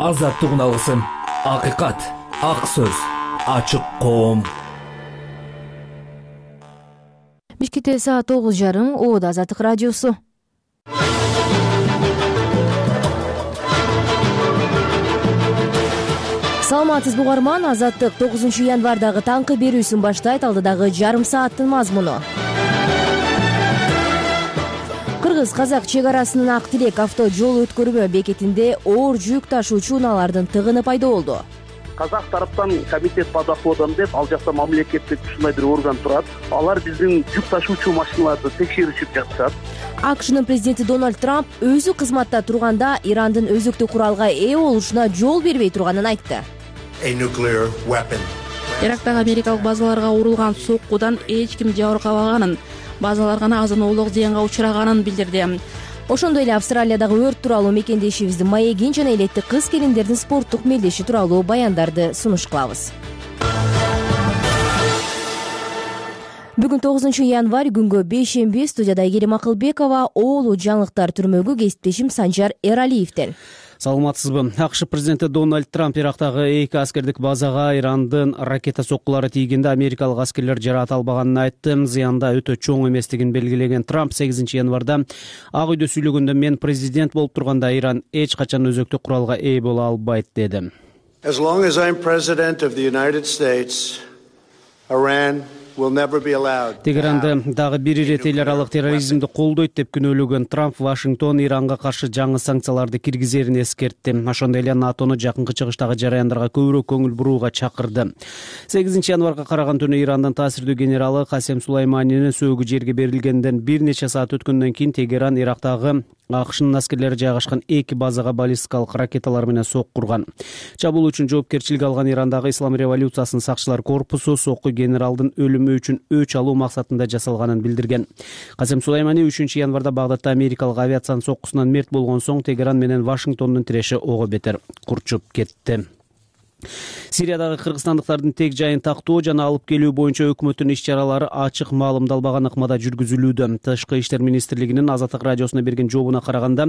Азаттык алсын. Акыйкат, ак сөз, ачык коом. Бишкекте саат 9:30. Ода Азаттык радиосу. Саламатсызбы угарман, Азаттык 9 январдагы таңкы берүүсүн баштайт. Алдыдагы жарым сааттын мазмуну. Кыргыз-казак чек арасынын Ак Тилек авто жол өткөрмө бекетинде оор жүк ташуучу унаалардын тыгыны пайда болду. Казак тараптан комитет по доходам деп, ал жакта мамлекеттик ушундай бир орган турат. Алар биздин жүк ташуучу машиналарды текшеришип жатышат. АКШнын президенти Дональд Трамп өзү кызматта турганда Ирандын өзүктүү куралга ээ болушуна жол бербей турганын айтты. Ирактагы америкалык базаларга урулган соккудан эч ким жабыркабаганын, базалар гана азын-оолук зыянга учураганын билдирди. Ошондой эле Австралиядагы өрт тууралуу мекендешибиздин маегин жана элетти кыз-келиндердин спорттук мелдеши тууралуу баяндарды сунуш кылабыз. Бүгүн 9 январь күнгө бейшемби. Студияда Айгерим Акылбекова, оолу жаңылыктар түрмөгү кесиптешим Санжар Эралиевден. Саламатсызбы. АКШ президенти Дональд Трамп Ирактагы 2 аскердик базага Ирандын ракета соккулары тийгенде америкалык аскерлер жараат албаганын айтты. Зыянда өтө чоң эместигин белгилеген Трамп 8 январда Ак үйдө сүйлөгөндө мен президент болуп турганда Иран эч качан өзөктүү куралга ээ боло албайт деди. As long as I'm president of the United States, Iran Тегеранды дагы бир ирет эл аралык терроризмди колдойт деп күнөөлөгөн Трамп Вашингтон Иранга каршы жаңы санкцияларды киргизерин эскертти. Ошондой эле НАТОну жакынкы чыгыштагы жараяндарга көбүрөөк көңүл бурууга чакырды. 8 январга караган түнү Ирандын таасирдүү генералы Касем Сулайманинин сөөгү жерге берилгенден бир нече саат өткөндөн кийин Тегеран Ирактагы АКШнын аскерлери жайгашкан 2 базага баллистикалык ракеталар менен сокку урган. Чабуул үчүн жоопкерчилик алган Ирандагы Ислам революциясынын сакчылар корпусу сокку генералдын өлүмү үчүн өч алуу максатында жасалганын билдирген. Касем Сулаймани 3 январда Багдадта америкалык авиациянын соккусунан мерт болгон соң Тегеран менен Вашингтондун тиреши ого бетер курчуп кетти. Сириядагы кыргызстандыктардын тек жайын тактоо жана алып келүү боюнча өкмөттүн иш-чаралары ачык маалымдалбаган ыкмада жүргүзүлүүдө. Тышкы иштер министрлигинин Азаттык радиосуна берген жообуна караганда,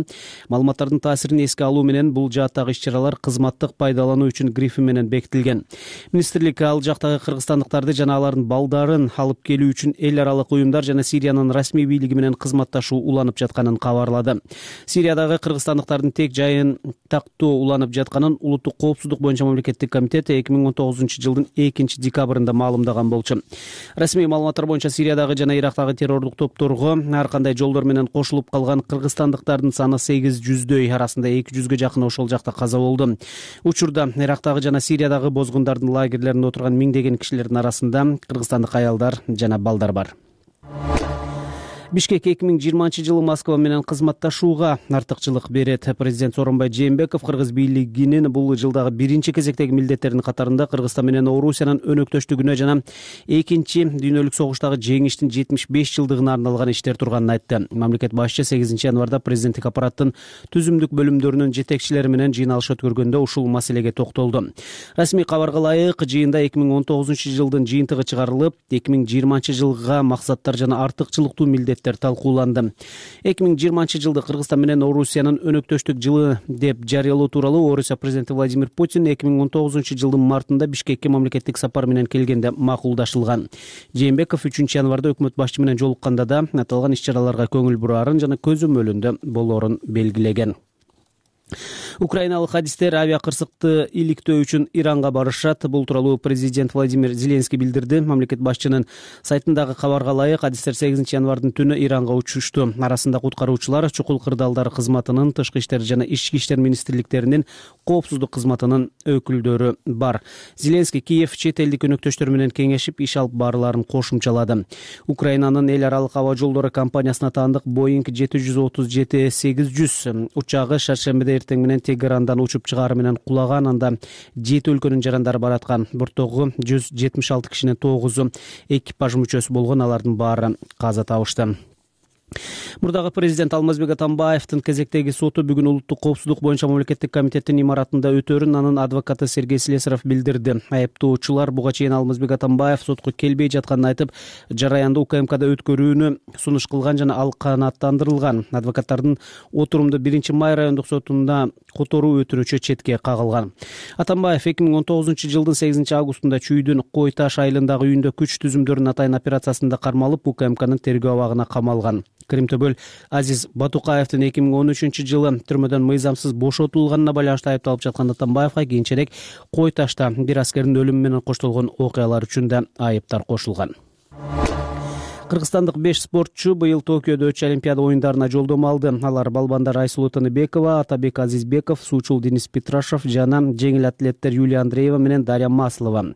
маалыматтардын таасирин эске алуу менен бул жааттагы иш-чаралар кызматтык пайдалануу үчүн грифи менен бекитилген. Министрлик ал жактагы кыргызстандыктарды жана алардын балдарын алып келүү үчүн эл аралык уюмдар жана Сириянын расмий бийлиги менен кызматташуу уланып жатканын кабарлады. Сириядагы кыргызстандыктардын тек жайын тактоо уланып жатканын Улуттук коопсуздук боюнча мамлекеттик комитет 2019 жылдын 2 декабрында маалымдаган болчу. Расмий маалыматтар боюнча Сириядагы жана Ирактагы террордук топторго ар кандай жолдор менен кошулуп калган кыргызстандыктардын саны 800дөй, арасында 200гө жакын ошол жакта каза болду. Учурда Ирактагы жана Сириядагы бозгундардын лагерлеринде отурган миңдеген кишилердин арасында кыргызстандык аялдар жана балдар бар. Бишкек 2020 жылы Москва менен кызматташууга артыкчылык берет. Президент Сооронбай Жээнбеков кыргыз бийлигинин бул жылдагы биринчи кезектеги милдеттеринин катарында Кыргызстан менен Орусиянын өнөктөштүгүнө жана экинчи дүйнөлүк согуштагы жеңиштин 75 жылдыгына арналган иштер турганын айтты. Мамлекет башчы 8 январда президенттик аппараттын түзүмдүк бөлүмдөрүнүн жетекчилери менен жыйналыш өткөргөндө ушул маселеге токтолду. Расмий кабарга ылайык жыйында 2019 жылдын жыйынтыгы чыгарылып, 2020 жылга максаттар жана артыкчылыктуу милдет талкууланды. 2020 жылды Кыргызстан менен Орусиянын өнөктөштүк жылы деп жарыялоо тууралуу Орусия президенти Владимир Путин 2019 жылдын мартында Бишкекке мамлекеттик сапар менен келгенде макулдашылган. Жээнбеков 3 январда өкмөт башчы менен жолукканда да аталган иш-чараларга көңүл бураарын жана көзөмөлүндө болоорун белгилеген. Украиналык хадистер авиакырсыкты иликтөө үчүн Иранга барышат. Бул тууралуу президент Владимир Зеленский билдирди. Мамлекет башчынын сайтындагы кабарга ылайык, хадистер 8 январдын түнү Иранга учушту. Арасында куткаруучулар, чукул кырдаалдар кызматынын, тышкы иштер жана ички иштер министрликтеринин, коопсуздук кызматынын өкүлдөрү бар. Зеленский Киев чет элдик өнөктөштөр менен кеңешип иш алып баарларын кошумчалады. Украинанын эл аралык аба жолдору компаниясына таандык Boeing 737-800 учагы шаршембиде эртең менен Тегерандан учуп чыгары менен кулаган. Анда 7 өлкөнүн жарандары бараткан. Борттогу 176 кишинин 9-у экипаж мүчөсү болгон, алардын баары каза табышты. Мурдагы президент Алмазбек Атамбаевдин кезектеги соту бүгүн улуттук коопсуздук боюнча мамлекеттик комитеттин имаратында өтөөрүн анын адвокаты Сергей Слесарев билдирди. Айыптоочулар буга чейин Алмазбек Атамбаев сотко келбей жатканын айтып, жараянды УКМКда өткөрүүнү сунуш кылган жана ал канааттандырылган. Адвокаттардын отурумду 1-Май райондук сотунда которуу өтүрүүчү четке кагылган. Атамбаев 2019-жылдын 8-августунда Чүйдүн Кой Таш айылындагы үйүндө күч түзүмдөрүнүн атайын операциясында кармалып, УКМКнын тергөө абагына камалган. Кримтөбөл Азиз Батукаевдин 2013-жылы түрмөдөн мыйзамсыз бошотулганына байланыштуу айыпталып жаткан Атамбаевга кийинчерээк Кой Ташта бир аскердин өлүмү менен коштолгон окуялар үчүн да айыптар кошулган. Кыргызстандык 5 спортчу быйыл Токиодо өтчү Олимпиада оюндарына жолдомо алды. Алар балбандар Айсулуу Тыныбекова, Атабек Азизбеков, суучул Денис Петрашев жана жеңил атлеттер Юлия Андреева менен Дарья Маслова.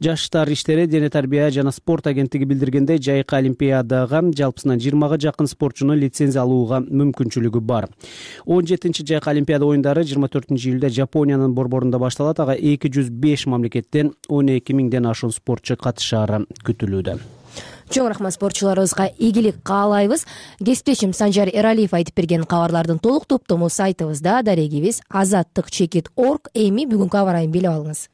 Жаштар иштери дене тарбия жана спорт агенттиги билдиргендей, жайкы Олимпиадага жалпысынан 20 жакын спортчуну лицензия алууга мүмкүнчүлүгү бар. 17-чи жайкы Олимпиада оюндары 24-июлда Жапониянын борборунда башталат. Ага 205 мамлекеттен 12 миңден ашуун спортчу катышаары күтүлүүдө. Чоң рахмат спортчуларыбызга, ийгилик каалайбыз. Кесиптешим Санжар Эралиев айтып берген кабарлардын толук топтому сайтыбызда, дарегибиз azаттык.org. Эми бүгүнкү аба ырайын билип алыңыз.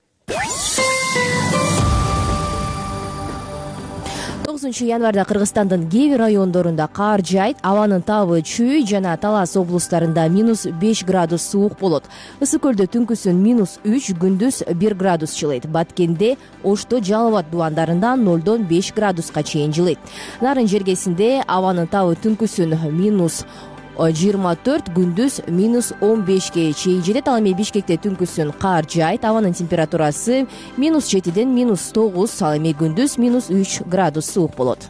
9 январда Кыргызстандын кээ бир райондорунда кар жаайт, абанын табы Чүй жана Талас облустарында -5 градус суук болот. Ысык көлдө түнкүсүн -3, күндүз 1 градус жылыйт. Баткенде, Ошто, Жалал Абад дубандарында 0-дон 5 градуска чейин жылыйт. Нарын жергесинде абанын табы түнкүсүн -24, күндүз -15ге чейин жетет. Ал эми Бишкекте түнкүсүн кар жаайт, абанын температурасы -7ден -9, ал эми күндүз -3 градус суук болот.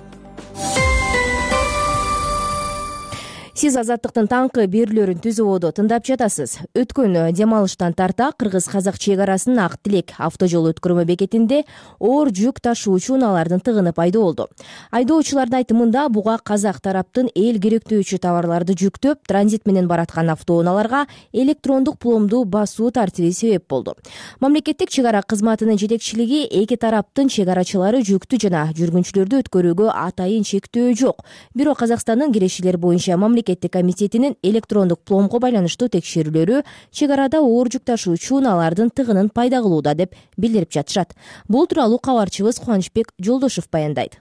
Сиз Азаттыктын таңкы берүүлөрүн түзүүбодо тыңдап жатасыз. Өткөн дем алыштан тарта кыргыз-казак чек арасын Ак Тилек автожол өткөрмө бекетинде оор жүк ташуучу унаалардын тыгыны пайда болду. Айдоочулардын айтымында буга казак тараптын эл керектөөчү товарларды жүктөп, транзит менен бараткан автоунааларга электрондук пломду басуу тартиби себеп болду. Мамлекеттик чек ара кызматынын жетекчилиги эки тараптын чек арачылары жүктү жана жүргүнчүлөрдү өткөрүүгө атайын чектөө жок. Бирок Казакстандын кирешилер боюнча мамлекеттик комитетинин электрондук пломго байланыштуу текшерүүлөрү чек арада оор жүк ташуучу унаалардын тыгынын пайда кылууда деп билдирип жатышат. Бул тууралуу кабарчыбыз Кубанычбек Жолдошов баяндайт.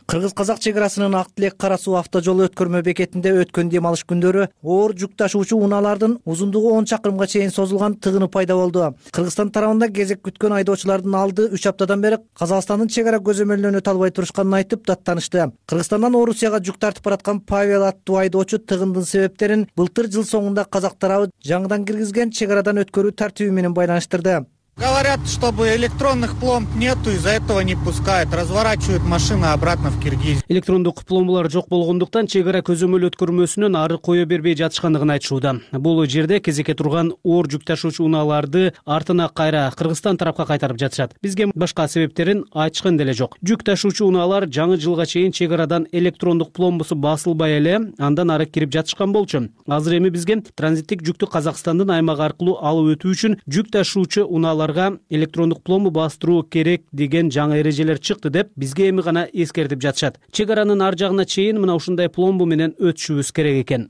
Кыргыз-казак чек арасынын Ак Тилек Кара Суу автожол өткөрмө бекетинде өткөн дем алыш күндөрү оор жүк ташуучу унаалардын узундугу 10 чакырымга чейин созулган тыгыны пайда болду. Кыргызстан тарабында кезек күткөн айдоочулардын алды 3 аптадан бери Казакстандын чек ара көзөмөлүнө өтө албай турушканын айтып даттанышты. Кыргызстандан Орусияга жүк тартып бараткан Павел аттуу айдоочу тыгындын себептерин былтыр жыл соңунда казак тарабы жаңыдан киргизген чек арадан өткөрүү тартиби менен байланыштырды. Говорят, чтобы электронных пломб нету, из-за этого не пускают, разворачивают машины обратно в Киргизию. Электрондук пломбалар жок болгондуктан чек ара көзөмөл өткөрмөсүнөн ары кое бербей жатышкандыгын айтышууда. Бул жерде кезекке турган оор жүк ташуучу унааларды артына кайра Кыргызстан тарапка кайтарып жатышат. Бизге башка себептерин айтышкан деле жок. Жүк ташуучу унаалар жаңы жылга чейин чек арадан электрондук пломбусу басылбай эле андан ары кирип жатышкан болчу. Азыр эми бизге транзиттик жүктү Казакстандын аймагы аркылуу алып өтүү үчүн жүк ташуучу унаалар электрондук пломбу бастыруу керек деген жаңы эрежелер чыкты деп бизге эми гана эскертип жатышат. Чек аранын ар жагына чейин мына ушундай пломбу менен өтүшүбүз керек экен.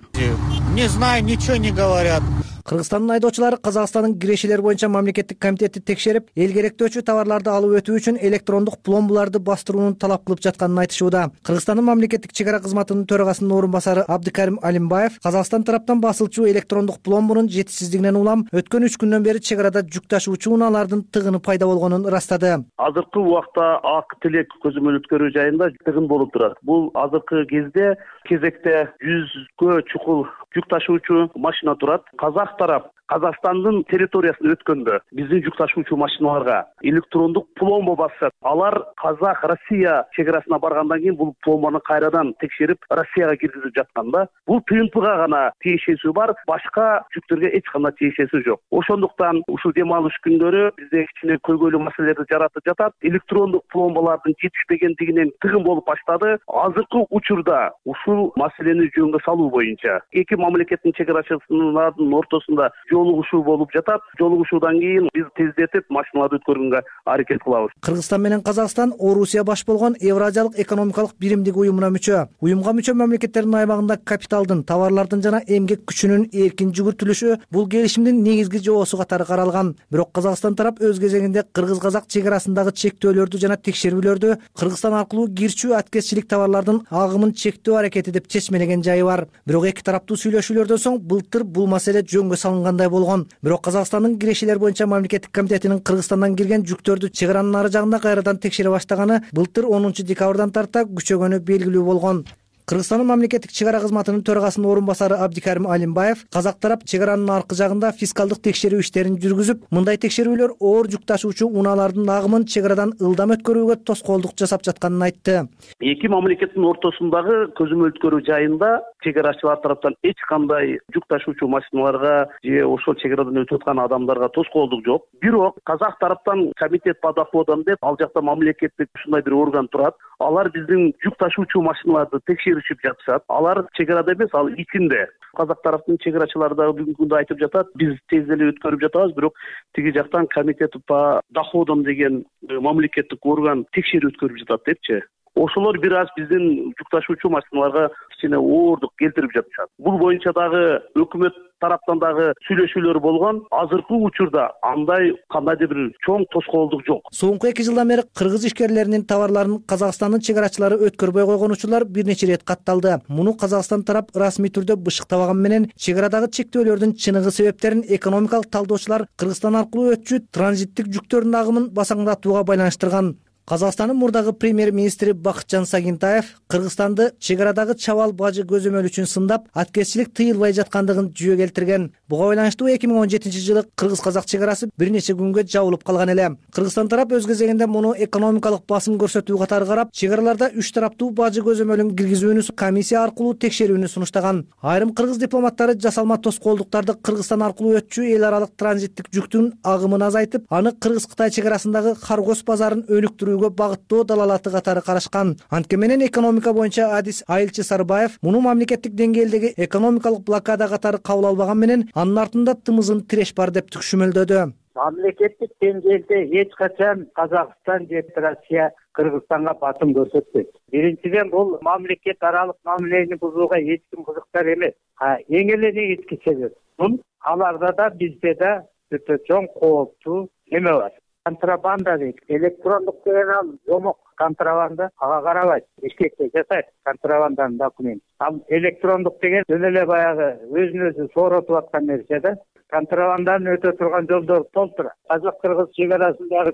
Не знаю, ничего не говорят. Кыргызстандын айдоочулары Казакстандын кирешилер боюнча мамлекеттик комитети текшерип, эл керектөөчү товарларды алып өтүү үчүн электрондук пломбуларды бастырууну талап кылып жатканын айтышууда. Кыргызстандын мамлекеттик чек ара кызматынын төрагасынын орун басары Абдыкарим Алимбаев Казакстан тараптан басылчу электрондук пломбунун жетишсиздигинен улам өткөн 3 күндөн бери чек арада жүк ташуучу унаалардын тыгыны пайда болгонун ырастады. Азыркы убакта Ак Тилек көзөмөл өткөрүү жайында тыгын болуп турат. Бул азыркы кезде кезекте 100гө чукул жүк ташуучу машина турат. Казак тарап Казакстандын территориясына өткөндө биздин жүк ташуучу машиналарга электрондук пломба басат. Алар Казак Россия чек арасына баргандан кийин бул пломбаны кайрадан текшерип Россияга киргизип жатканда, бул ТНПга гана тиешеси бар, башка жүктөргө эч кандай тиешеси жок. Ошондуктан ушул дем алыш күндөрү бизде кичине көйгөйлүү маселелерди жаратып жатат. Электрондук пломбалардын жетишпегендигинен тыгын болуп баштады. Азыркы учурда ушул маселени жөнгө салуу боюнча эки мамлекеттин чек арачысынын ортосунда жолугушуу болуп жатат. Жолугушуудан кийин биз тездетип машиналарды өткөргөнгө аракет кылабыз. Кыргызстан менен Казакстан Орусия баш болгон Евразиялык экономикалык биримдик уюмуна мүчө. Уюмга мүчө мамлекеттердин аймагында капиталдын, товарлардын жана эмгек күчүнүн эркин жүгүртүлүшү бул келишимдин негизги жоосу катары каралган. Бирок Казакстан тарап өз кезегинде кыргыз-казак чек арасындагы чектөөлөрдү жана текшерүүлөрдү Кыргызстан аркылуу кирчүү аткезчилик товарлардын агымын чектөө аракети деп чечмелеген жайы бар. Бирок эки тараптуу сүйлөшүүлөрдөн соң былтыр бул маселе жөнгө салынгандай болгон. Бирок Казакстандын кирешелер боюнча мамлекеттик комитетинин Кыргызстандан кирген жүктөрдү чек аранын ары жагында кайрадан текшере баштаганы былтыр 10 декабрдан тарта күчөгөнү белгилүү болгон. Кыргызстандын мамлекеттик чек ара кызматынын төрагасынын орун басары Абдикарим Алимбаев казак тарап чек аранын аркы жагында фискалдык текшерүү иштерин жүргүзүп, мындай текшерүүлөр оор жүк ташуучу унаалардын агымын чек арадан ылдам өткөрүүгө тоскоолдук жасап жатканын айтты. Эки мамлекеттин ортосундагы көзөмөл өткөрүү жайында чек арачылар тараптан эч кандай жүк ташуучу машиналарга же ошол чек арадан өтүп аткан адамдарга тоскоолдук жок. Бирок казак тараптан комитет по доходам деп ал жакта мамлекеттик ушундай бир орган турат. Алар биздин жүк ташуучу машиналарды текшеришип жатышат. Алар чек арада эмес, ал ичинде. Казак тараптын чек арачылары да бүгүнкү күндө айтып жатат, биз тез эле өткөрүп жатабыз, бирок тиги жактан комитет по доходам деген мамлекеттик орган текшерүү өткөрүп жатат депчи. Ошолор бир аз биздин жүк ташуучу машиналарга кичине оорундук келтирип жатышат. Бул боюнча дагы өкмөт тараптан дагы сүйлөшүүлөр болгон. Азыркы учурда андай кандайдыр бир чоң тоскоолдук жок. Соңку 2 жылдан бери кыргыз ишкерлеринин товарларын Казакстандын чек арачылары өткөрбөй койгон учурлар бир нече рет катталды. Муну Казакстан тарап расмий түрдө бышыктабаган менен чек арадагы чектөөлөрдүн чыныгы себептерин экономикалык талдоочулар Кыргызстан аркылуу өтчү транзиттик жүктөрдүн агымын басаңдатууга байланыштырган. Казакстандын мурдагы премьер-министри Бакытжан Сагинтаев Кыргызстанды чек арадагы чабал бажы көзөмөл үчүн сындап, аткезчилик тыйылбай жаткандыгын жүйө келтирген. Буга байланыштуу 2017-жылы кыргыз-казак чек арасы бир нече күнгө жабылып калган эле. Кыргызстан тарап өз кезегинде муну экономикалык басым көрсөтүү катары карап, чек араларда 3 тараптуу бажы көзөмөлүн киргизүүнү комиссия аркылуу текшерүүнү сунуштаган. Айрым кыргыз дипломаттары жасалма тоскоолдуктарды Кыргызстан аркылуу өтчү эл аралык транзиттик жүктүн агымын азайтып, аны Кыргыз-Кытай чек арасындагы Харгос базарын өнүктүрүү багыттоо далалаты катары карашкан. Анткени менен экономика боюнча адис Айылчы Сарбаев муну мамлекеттик деңгээлдеги экономикалык блокада катары кабыл албаган менен анын артында тымызын тиреш бар деп түшүнмөлдөдү. Мамлекеттик деңгээлде эч качан Казакстан же Россия Кыргызстанга басым көрсөтпөйт. Биринчиден бул мамлекет аралык мамилени бузууга эч ким кызыктар эмес. Эң эле негизги себеп бул аларда да бизде да өтө чоң кооптуу неме бар. Контрабанда дейт. Электрондук деген ал жомок контрабанда ага карабайт. Бишкекте жасайт контрабанданын документ. Ал электрондук деген жөн эле баягы өзүн өзү сооротуп аткан нерсе да. Контрабанданын өтө турган жолдор толтура. Казак-кыргыз чек арасындагы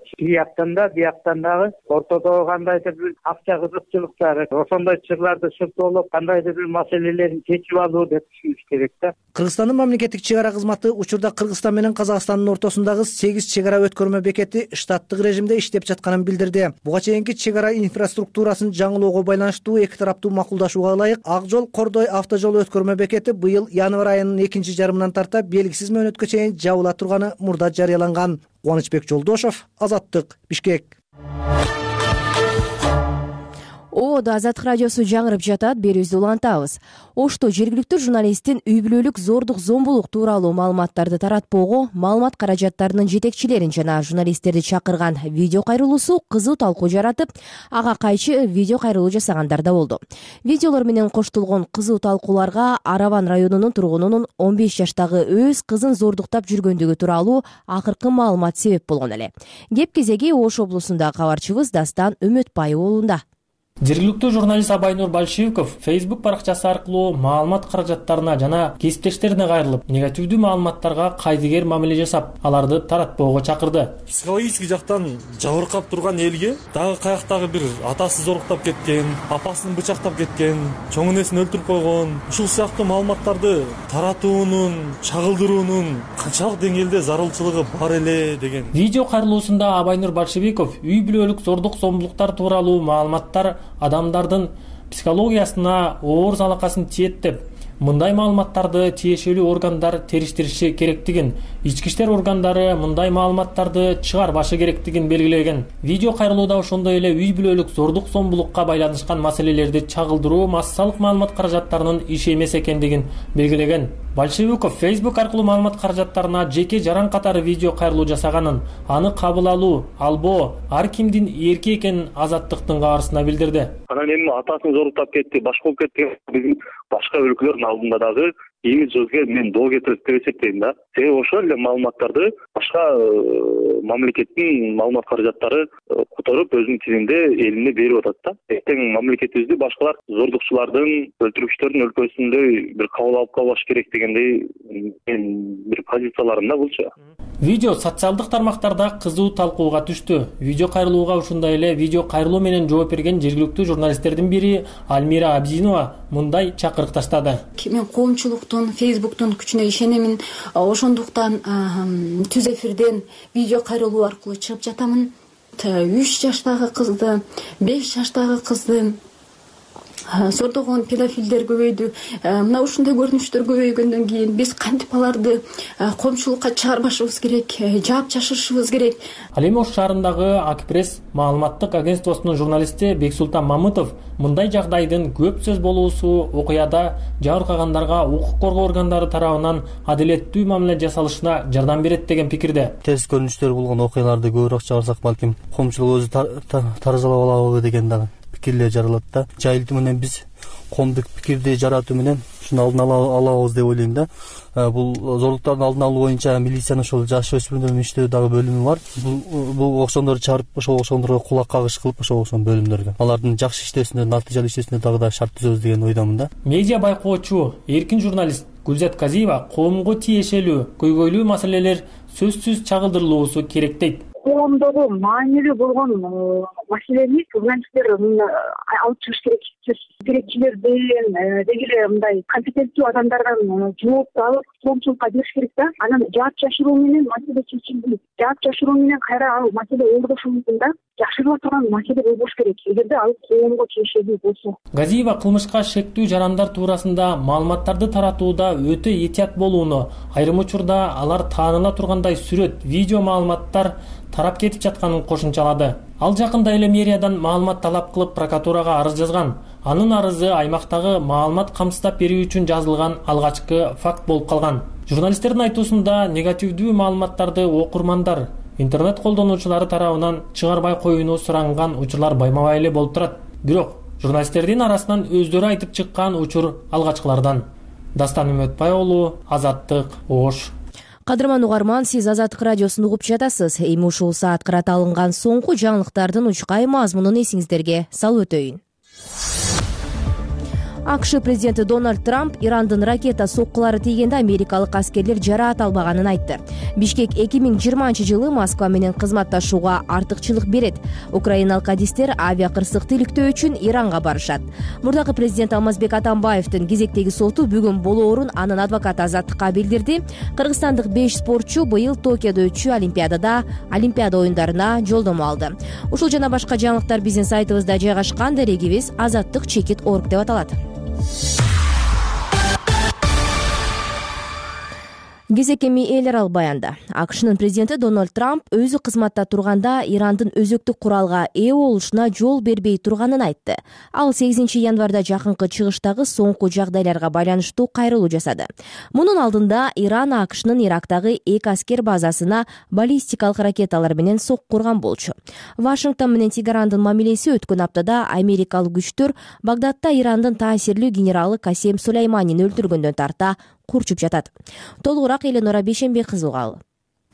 бияктан дагы ортодогу кандайдыр бир акча кызыкчылыктары, ошондой чырларды шыртоолоп, кандайдыр бир маселелерин чечип алуу деп түшүнүш керек да. Кыргызстандын мамлекеттик чек ара кызматы учурда Кыргызстан менен Казакстандын ортосундагы 8 чек ара өткөрмө бекети штаттык режимде иштеп жатканын билдирди. Буга чейинки чек ара инфраструктурасын жаңылоого байланыштуу эки тараптуу макулдашууга ылайык Ак жол Кордой автожол өткөрмө бекети быйыл январь айынын 2-жарымынан тарта белгисиз мөөнөткө чейин жабыла турганы мурда жарыяланган. Кубанычбек Жолдошов, Азаттык, Бишкек. Ободо Азаттык радиосу жаңырып жатат, берүүбүздү улантабыз. Ошто жергиликтүү журналисттин үй бүлөлүк зордук зомбулук тууралуу маалыматтарды таратпоого маалымат каражаттарынын жетекчилерин жана журналисттерди чакырган видео кайрылуусу кызуу талкуу жаратып, ага кайчы видео кайрылуу жасагандар да болду. Видеолор менен коштолгон кызуу талкууларга Араван районунун тургунунун 15 жаштагы өз кызын зордуктап жүргөндүгү тууралуу акыркы маалымат себеп болгон эле. Кеп кезеги Ош облусундагы кабарчыбыз Дастан Үмөтбаев уулунда. Жергиликтүү журналист Абайнур Большевиков Facebook баракчасы аркылуу маалымат каражаттарына жана кесиптештерине кайрылып, негативдүү маалыматтарга кайдыгер мамиле жасап, аларды таратпоого чакырды. Психологический жактан жабыркап турган элге дагы каяктагы бир атасы зоруктап кеткен, апасын бычактап кеткен, чоң энесин өлтүрүп койгон, ушул сыяктуу маалыматтарды таратуунун, чагылдыруунун канчалык деңгээлде зарылчылыгы бар эле деген. Видео кайрылуусунда Абайнур Большевиков үй бүлөлүк зордук зомбулуктар тууралуу маалыматтар адамдардын психологиясына оор залакасын тиет деп, мындай маалыматтарды тиешелүү органдар териштириши керектигин, ички иштер органдары мындай маалыматтарды чыгарбашы керектигин белгилеген. Видео кайрылууда ошондой эле үй бүлөлүк зордук зомбулукка байланышкан маселелерди чагылдыруу массалык маалымат каражаттарынын иши эмес экендигин белгилеген. Большевиков Facebook аркылуу маалымат каражаттарына жеке жаран катары видео кайрылуу жасаганын, аны кабыл алуу, албоо ар кимдин эрки экенин Азаттыктын кабарысына билдирди. Анан эми атасын зоруктап кетти, башка болуп кетти. Биздин башка өлкөлөрдүн алдында дагы имиджибизге мен доо кетирет деп эсептейм да. Себеби ошол эле маалыматтарды башка мамлекеттин маалымат каражаттары которуп өзүнүн тилинде элине берип атат да. Эртең мамлекетибизди башкалар зордукчулардын, өлтүргүчтөрдүн өлкөсүндө бир кабыл алып калбаш керек дегендей бир позицияларым да булчу. Видео социалдык тармактарда кызуу талкууга түштү. Видео кайрылууга ушундай эле видео кайрылуу менен жооп берген жергиликтүү журналисттердин бири Альмира Абдинова мындай чакырык таштады. Мен коомчулуктун, Facebooktун күчүнө ишенемин. Ошондуктан түз эфирден видео кайрылуу аркылуу чыгып жатамын. 3 жаштагы кызды, 5 жаштагы кызды сордогон педофилдер көбөйдү. Мына ушундай көрүнүштөр көбөйгөндөн кийин биз кантип аларды коомчулукка чыгарбашыбыз керек, жаап жашырышыбыз керек. Ал эми Ош шаарындагы Акпресс маалыматтык агентствосунун журналисти Бексултан Мамытов мындай жагдайдын көп сөз болуусу окуяда жабыркагандарга укук коргоо органдары тарабынан адилеттүү мамиле жасалышына жардам берет деген пикирде. Терс көрүнүштөр болгон окуяларды көбүрөөк чыгарсак балким коомчулук өзү таразалап алабы деген дагы пикирлер жаралат да. Жайылтуу менен биз коомдук пикирди жаратуу менен ушуну алдын алабыз деп ойлойм да. Бул зордуктардын алдын алуу боюнча милициянын ошол жаш өспүрүмдөрдүн иштөө дагы бөлүмү бар. Бул окшондорду чыгарып ошол окшондорго кулак кагыш кылып ошол окшон бөлүмдөргө алардын жакшы иштөөсүнө, натыйжалуу иштөөсүнө дагы да шарт түзөбүз деген ойдомун да. Медиа байкоочу, эркин журналист Гүлзат Казиева коомго тиешелүү, көйгөйлүү маселелер сөзсүз чагылдырылуусу керек дейт. Коомдогу маанилүү болгон маселени журналисттер алып чыгыш керек. Керекчилерден деги эле мындай компетенттүү адамдардан жоопту алып коомчулукка бериш керек да. Анан жаап жашыруу менен маселе чечилди. Жаап жашыруу менен кайра ал маселе ордошу мүмкүн да. Жашырыла турган маселе болбош керек, эгерде ал коомго тиешелүү болсо. Газиева кылмышка шектүү жарандар туурасында маалыматтарды таратууда өтө этият болууну, айрым учурда алар тааныла тургандай сүрөт, видео маалыматтар тарап кетип жатканын кошумчалады. Ал жакында эле мэриядан маалымат талап кылып прокуратурага арыз жазган. Анын арызы аймактагы маалымат камсыздап берүү үчүн жазылган алгачкы факт болуп калган. Журналисттердин айтуусунда негативдүү маалыматтарды окурмандар, интернет колдонуучулары тарабынан чыгарбай коюуну суранган учурлар байма-бай эле болуп турат. Бирок журналисттердин арасынан өздөрү айтып чыккан учур алгачкылардан. Дастан Үмөтбай уулу, Азаттык, Ош. Кадырман угарман, сиз Азаттык радиосун угуп жатасыз. Эми ушул саат кырата алынган соңку жаңылыктардын учкай мазмунун эсиңиздерге салып өтөйүн. АКШ президенти Дональд Трамп Ирандын ракета соккулары тийгенде америкалык аскерлер жараат албаганын айтты. Бишкек 2020-жылы Москва менен кызматташууга артыкчылык берет. Украиналык адистер авиакырсыкты иликтөө үчүн Иранга барышат. Мурдагы президент Алмазбек Атамбаевдин кезектеги соту бүгүн болоорун анын адвокаты Азаттыкка билдирди. Кыргызстандык 5 спортчу быйыл Токиодо өтчү Олимпиада оюндарына жолдомо алды. Ушул жана башка жаңылыктар биздин сайтыбызда жайгашкан. Дарегибиз azattik.org деп аталат. Кезек эми эл аралык баянда. АКШнын президенти Дональд Трамп өзү кызматта турганда Ирандын өзөктүк куралга ээ болушуна жол бербей турганын айтты. Ал 8 январда жакынкы чыгыштагы соңку жагдайларга байланыштуу кайрылуу жасады. Мунун алдында Иран АКШнын Ирактагы 2 аскер базасына баллистикалык ракеталар менен сокку урган болчу. Вашингтон менен Тегерандын мамилеси өткөн аптада америкалык күчтөр Багдадда Ирандын таасирлүү генералы Касем Сулейманин өлтүргөндөн тарта курчуп жатат. Толугураак Эленора Бейшенбек кызы угалы.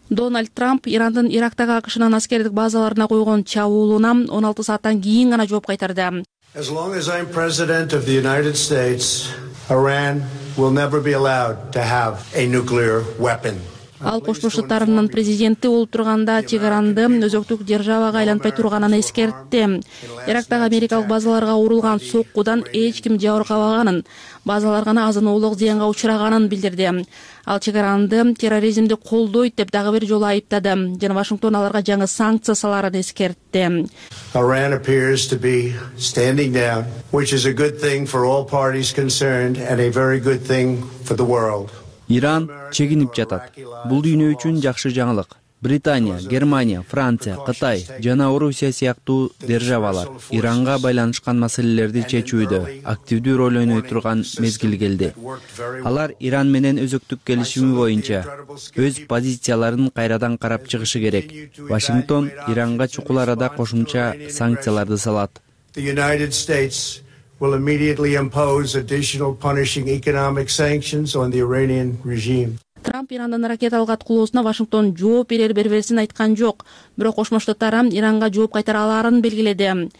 Дональд Трамп Ирандын Ирактагы АКШнын аскердик базаларына койгон чабуулуна 16 сааттан кийин гана жооп кайтарды. As long as I'm president of the United States, Iran will never be allowed to have a nuclear weapon. Ал Кошмо Штаттарынын президенти болуп турганда Тегеранды өзөктүк державага айлантпай турганын эскертти. Ирактагы америкалык базаларга урулган соккудан эч ким жабыркабаганын, базалар гана азын-оолук зыянга учураганын билдирди. Ал Тегеранды терроризмди колдойт деп дагы бир жолу айыптады жана Вашингтон аларга жаңы санкция саларын эскертти. Iran appears to be standing down, which is a good thing for all parties concerned and a very good thing for the world. Иран чегинип жатат. Бул дүйнө үчүн жакшы жаңылык. Британия, Германия, Франция, Кытай жана Орусия сыяктуу державалар Иранга байланышкан маселелерди чечүүдө активдүү роль ойной турган мезгил келди. Алар Иран менен өзөктүк келишими боюнча өз позицияларын кайрадан карап чыгышы керек. Вашингтон Иранга чукул арада кошумча санкцияларды салат. The United States will immediately impose additional punishing economic sanctions on the Iranian regime. Трамп Ирандын ракеталык аткылоосуна Вашингтон жооп берербербесин айткан жок, бирок Кошмо Штаттар Иранга жооп кайтара аларын белгиледи.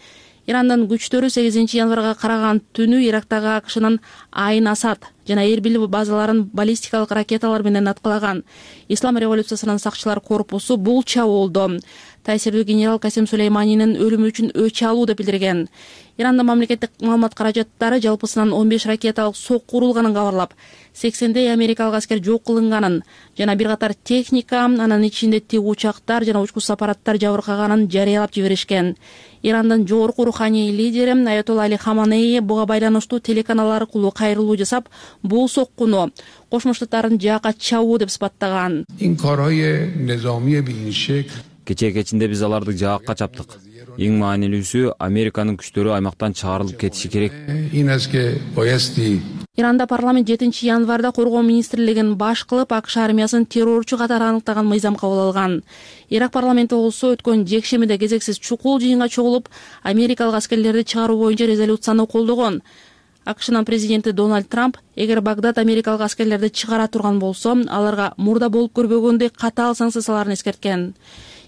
Ирандын күчтөрү 8 январга караган түнү Ирактагы АКШнын Айн Асад жана Эрбил базаларын баллистикалык ракеталар менен аткылаган. Ислам революциясынын сакчылар корпусу бул чабуулду таасирдүү генерал Касим Сулейманинин өлүмү үчүн өч алуу деп билдирген. Ирандын мамлекеттик маалымат каражаттары жалпысынан 15 ракеталык сокку урулганын кабарлап, 80дей америкалык аскер жок кылынганын жана бир катар техника, анын ичинде тик учактар жана учкуч аппараттар жабыркаганын жарыялап жиберишкен. Ирандын жогорку руханий лидери Аятолла Али Хаманеи буга байланыштуу телеканал аркылуу кайрылуу жасап, бул соккуну Кошмо Штаттардын жаакка чабуу деп сыпаттаган. Кечээ кечинде биз аларды жаакка чаптык. Эң маанилүүсү Американын күчтөрү аймактан чыгарылып кетиши керек. Иранда парламент 7 январда коргоо министрлигин баш кылып АКШ армиясын террорчу катары аныктаган мыйзам кабыл алган. Ирак парламенти болсо өткөн жекшемиде кезексиз чукул жыйынга чогулуп, америкалык аскерлерди чыгаруу боюнча резолюцияны колдогон. АКШнын президенти Дональд Трамп эгер Багдад америкалык аскерлерди чыгара турган болсо, аларга мурда болуп көрбөгөндөй катаал санкция саларын эскерткен.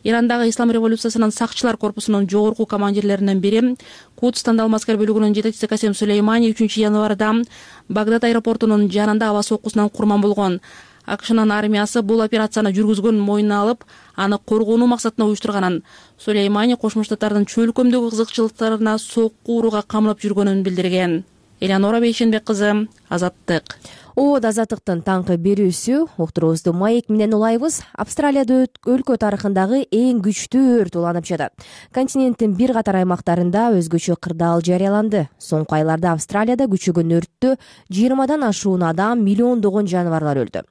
Ирандагы Ислам революциясынын сакчылар корпусунун жогорку командирлеринен бири, Кудс тандалма аскер бөлүгүнүн жетекчиси Касим Сулеймани 3 январда Багдад аэропортунун жанында аба соккусунан курман болгон. АКШнын армиясы бул операцияны жүргүзгөнүн мойнуна алып, аны коргонуу максатында уюштурганын, Сулеймани Кошмо Штаттардын чөлкөмдөгү кызыкчылыктарына сокку урууга камылып жүргөнүн билдирген. Элеонора Бейшенбек кызы, Азаттык. Азаттыктын таңкы берүүсү уктуруубузду маек менен улайбыз. Австралияда өлкө тарыхындагы эң күчтүү өрт уланып жатат. Континенттин бир катар аймактарында өзгөчө кырдаал жарыяланды. Соңку айларда Австралияда күчөгөн өрттө 20дан ашуун адам, миллиондогон жаныбарлар өлдү.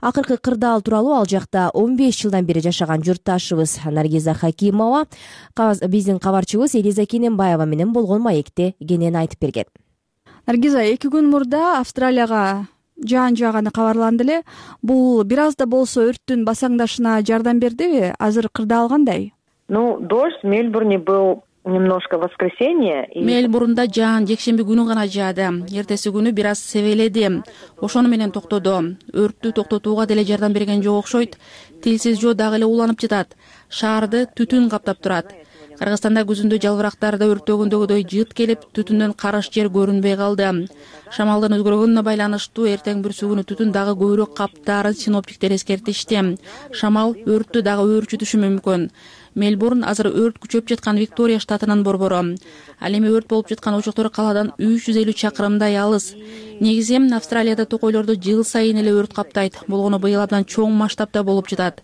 Акыркы кырдаал тууралуу ал жакта 15 жылдан бери жашаган журтташыбыз Наргиза Хакимова биздин кабарчыбыз Элиза Кененбаева менен болгон маекте кенен айтып берген. Наргиза, 2 күн мурда Австралияга жаан жааганы кабарланды эле. Бул бир аз да болсо өрттүн басаңдашына жардам бердиби? Азыр кырдаал кандай? Дождь в Мельбурне был немножко в воскресенье. Мельбурнда жаан жекшемби күнү гана жаады. Эртеси күнү бир аз себеледи. Ошону менен токтоду. Өрттү токтотууга деле жардам берген жок окшойт. Тилсиз жөө дагы эле уланып жатат. Шаарды түтүн каптап турат. Кыргызстанда күзүндө жалбырактарда өрттөгөндөгүдөй жыт келип, түтүндөн карыш жер көрүнбөй калды. Шамалдын өзгөргөнүнө байланыштуу эртең бүрсү күнү түтүн дагы көбүрөөк каптаарын синоптиктер эскертишти. Шамал өрттү дагы өөрчүтүшү мүмкүн. Мельбурн азыр өрт күчөп жаткан Виктория штатынын борбору. Ал эми өрт болуп жаткан очоктор калаадан 350 чакырымдай алыс. Негизи Австралияда токойлорду жыл сайын эле өрт каптайт. Болгону быйыл абдан чоң масштабта болуп жатат.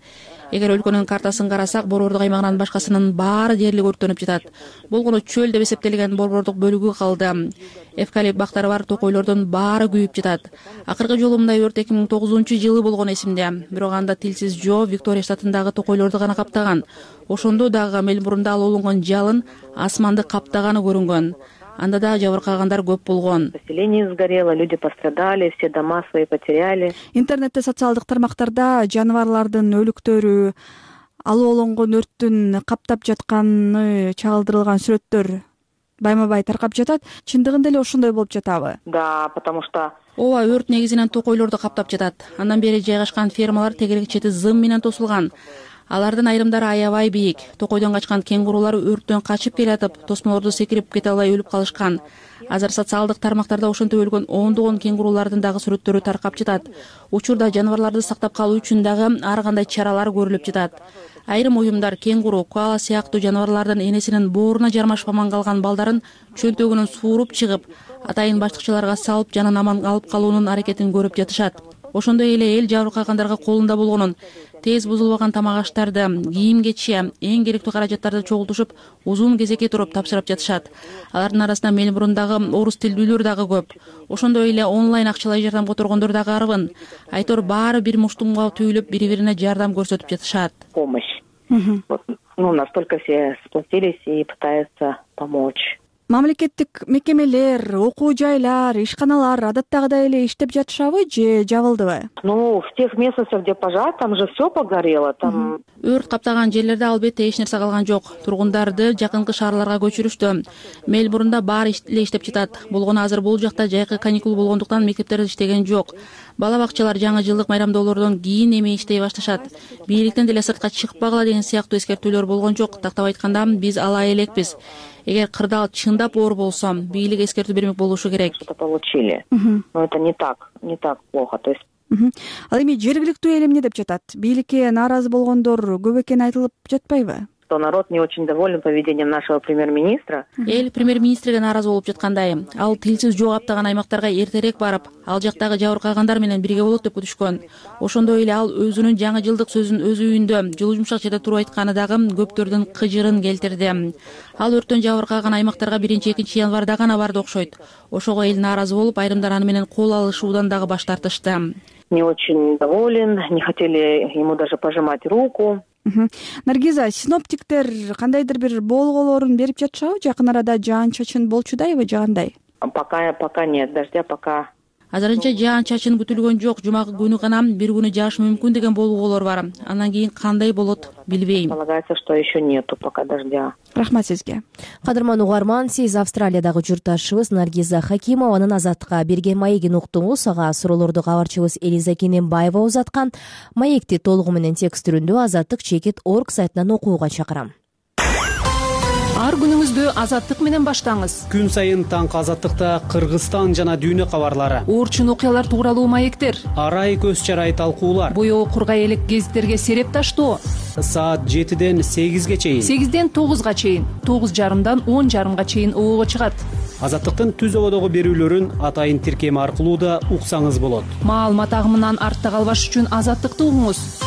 Эгер өлкөнүн картасын карасак, борбордук аймагынан башкасынын баары дээрлик өрттөнүп жатат. Болгону чөл деп эсептелген борбордук бөлүгү калды. Эвкалипт бактары бар токойлордун баары күйүп жатат. Акыркы жолу мындай өрт 2009-жылы болгон эсимде. Бирок анда тилсиз жөө Виктория штатындагы токойлорду гана каптаган. Ошондо дагы Мельбурнда алууланган жалын асманды каптаганы көрүнгөн. Анда да жабыркагандар көп болгон. Поселение сгорело, люди пострадали, все дома свои потеряли. Интернетте, социалдык тармактарда жаныбарлардын өлүктөрү, алууланган өрттүн каптап жатканы чагылдырылган сүрөттөр байма-бай таркап жатат. Чындыгында эле ошондой болуп жатабы? Да, потому что ооба, өрт негизинен токойлорду каптап жатат. Андан бери жайгашкан фермалар тегерек чети зым менен тосулган. Алардын айрымдары аябай бийик. Токойдон качкан кенгурулар өрттөн качып келатып, тосмолорду секирип кете албай өлүп калышкан. Азыр социалдык тармактарда ошентип өлгөн ондогон кенгурулардын дагы сүрөттөрү таркап жатат. Учурда жаныбарларды сактап калуу үчүн дагы ар кандай чаралар көрүлүп жатат. Айрым уюмдар кенгуру, коала сыяктуу жаныбарлардын энесинин бооруна жармашып аман калган балдарын чөнтөгүнөн сууруп чыгып, атайын баштыкчыларга салып, жанын аман алып калуунун аракетин көрүп жатышат. Ошондой эле эл жабыркагандарга колунда болгонун, тез бузулбаган тамак аштарды, кийим-кече, эң керектүү каражаттарды чогултушуп, узун кезекке туруп тапшырып жатышат. Алардын арасында Мельбурндагы орус тилдүүлөр дагы көп. Ошондой эле онлайн акчалай жардам которгондор дагы арбын. Айтор баары бир муштумга түйүлүп, бири-бирине жардам көрсөтүп жатышат. Помощь. Настолько все сплотились и пытаются помочь. Мамлекеттик мекемелер, окуу жайлар, ишканалар адаттагыдай эле иштеп жатышабы же жабылдыбы? В тех местностях, где пожар, там же все погорело, там. Өрт каптаган жерлерде албетте эч нерсе калган жок. Тургундарды жакынкы шаарларга көчүрүштү. Мельбурнда баары эле иштеп жатат. Болгону азыр бул жакта жайкы каникул болгондуктан мектептер иштеген жок. Бала бакчалар жаңы жылдык майрамдоолордон кийин эми иштей башташат. Бийликтен деле сыртка чыкпагыла деген сыяктуу эскертүүлөр болгон жок. Тактап айтканда, биз ала элекпиз. Эгер кырдаал чындап оор болсо, бийлик эскертүү бермек болушу керек. Получили. Но это не так плохо. То есть. Ал эми жергиликтүү эл эмне деп жатат? Бийликке нааразы болгондор көп экени айтылып жатпайбы? Что народ не очень доволен поведением нашего премьер-министра. Эл премьер-министрге нааразы болуп жаткандай. Ал тилсиз жөө каптаган аймактарга эртерээк барып, ал жактагы жабыркагандар менен бирге болот деп күтүшкөн. Ошондой эле ал өзүнүн жаңы жылдык сөзүн өз үйүндө жылуу жумшак жерде туруп айтканы дагы көптөрдүн кыжырын келтирди. Ал өрттөн жабыркаган аймактарга 1-2 январда гана барды окшойт. Ошого эл нааразы болуп, айрымдар аны менен кол алышуудан дагы баш тартышты. Не очень доволен, не хотели ему даже пожимать руку. Наргиза, синоптиктер кандайдыр бир болгоолорун берип жатышабы? Жакын арада жаан-чачын болчудайбы же кандай? Пока нет дождя, пока. Азырынча жаан-чачын күтүлгөн жок. Жумакы күнү гана бир күнү жаашы мүмкүн деген болгоолор бар. Андан кийин кандай болот билбейм. Полагается, что еще нету пока дождя. Рахмат сизге. Кадырман угарман, сиз Австралиядагы журтташыбыз Наргиза Хакимованын Азаттыкка берген маегин уктуңуз. Ага суроолорду кабарчыбыз Элиза Кененбаева узаткан. Маекти толугу менен текст түрүндө azattik.org сайтынан окууга чакырам. Ар күнүңүздү Азаттык менен баштаңыз. Күн сайын таңкы Азаттыкта Кыргызстан жана дүйнө кабарлары, Оорчун окуялар тууралуу маектер, арай көз чарай талкуулар, боёо кургай элек гезиттерге сереп таштоо. Саат 7ден 8ге чейин, 8ден 9га чейин, 9:30дан 10:30га чейин оого чыгат. Азаттыктын түз ободогу берүүлөрүн атайын тиркеми аркылуу да уксаңыз болот. Маалымат агымынан артта калбаш үчүн Азаттыкты угуңуз.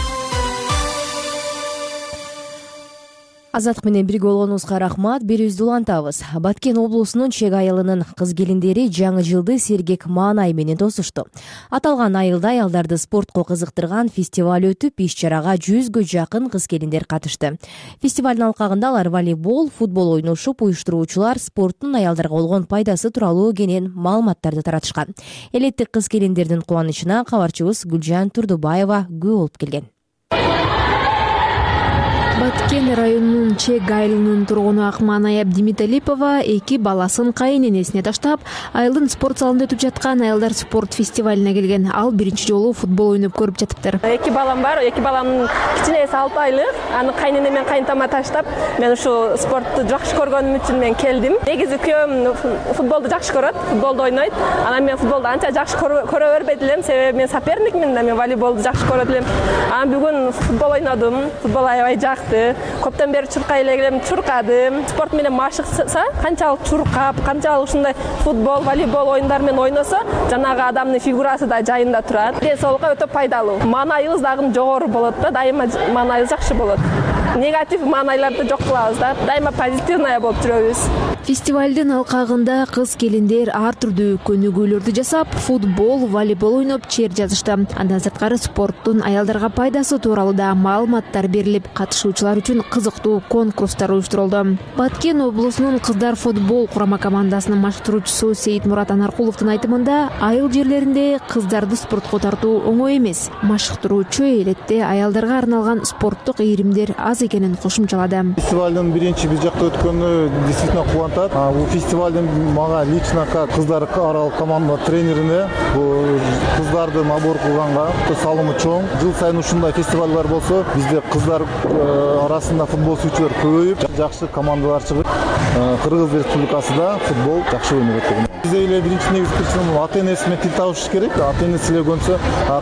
Азаттык менен бирге болгонуңузга рахмат. Берүүбүздү улантабыз. Баткен облусунун Чек айылынын кыз-келиндери жаңы жылды сергек маанай менен тосушту. Аталган айылда аялдарды спортко кызыктырган фестиваль өтүп, иш-чарага 100гө жакын кыз-келиндер катышты. Фестивалдын алкагында алар волейбол, футбол ойношуп, уюштуруучулар спорттун аялдарга болгон пайдасы тууралуу кенен маалыматтарды таратышкан. Элеттик кыз-келиндердин кубанычына кабарчыбыз Гүлжан Турдубаева күбө болуп келген. Баткен районунун Чек айылынын тургуну Акманай Абдимиталипова 2 баласын кайын энесине таштап, айылдын спорт залында өтүп жаткан аялдар спорт фестивалине келген. Ал биринчи жолу футбол ойноп көрүп жатыптыр. 2 балам бар. 2 баламдын кичинеси 6 айлык. Аны кайын эне менен кайынтама таштап, мен ушу спортту жакшы көргөнүм үчүн мен келдим. Негизи күйөөм футболду жакшы көрөт, футболду ойнойт. Анан мен футболду анча жакшы көрө бербейт элем, себеби мен соперникмин да, мен волейболду жакшы көрөт элем. Анан бүгүн футбол ойнодум. Футбол аябай жакты. Көптөн бери чуркай элем, чуркадым. Спорт менен машыкса, канчалык чуркап, канчалык ушундай футбол, волейбол оюндар менен ойносо, жанагы адамдын фигурасы да жайында турат. Ден соолукка өтө пайдалуу. Маанайыбыз дагы жогору болот да, дайыма маанайыбыз жакшы болот. Негатив маанайларды жок кылабыз да, дайыма позитивный болуп жүрөбүз. Фестивалдын алкагында кыз-келиндер ар түрдүү көнүгүүлөрдү жасап, футбол, волейбол ойноп, чер жазышты. Андан сырткары спорттун аялдарга пайдасы тууралуу да маалыматтар берилип, катышуучулар үчүн кызыктуу конкурстар уюштурулду. Баткен облусунун кыздар футбол курама командасынын машыктыруучусу Сейитмурат Анаркуловдун айтымында, айыл жерлеринде кыздарды спортко тартуу оңой эмес. Машыктыруучу элетте аялдарга арналган спорттук ийримдер аз аз экенин кошумчалады. Фестивалдын биринчи бир жакта өткөнү действительно кубантат. Бул фестивалдын мага лично как кыздар аралык команда тренерине бул кыздарды набор кылганга салымы чоң. Жыл сайын ушундай фестивалдар болсо, бизде кыздар арасында футбол сүйүүчүлөр көбөйүп, жакшы командалар чыгып, Кыргыз Республикасында футбол жакшы ойноп атат. Бизде эле биринчи негизги причина ата-энеси менен тил табыш керек. Ата-энеси эле көнсө,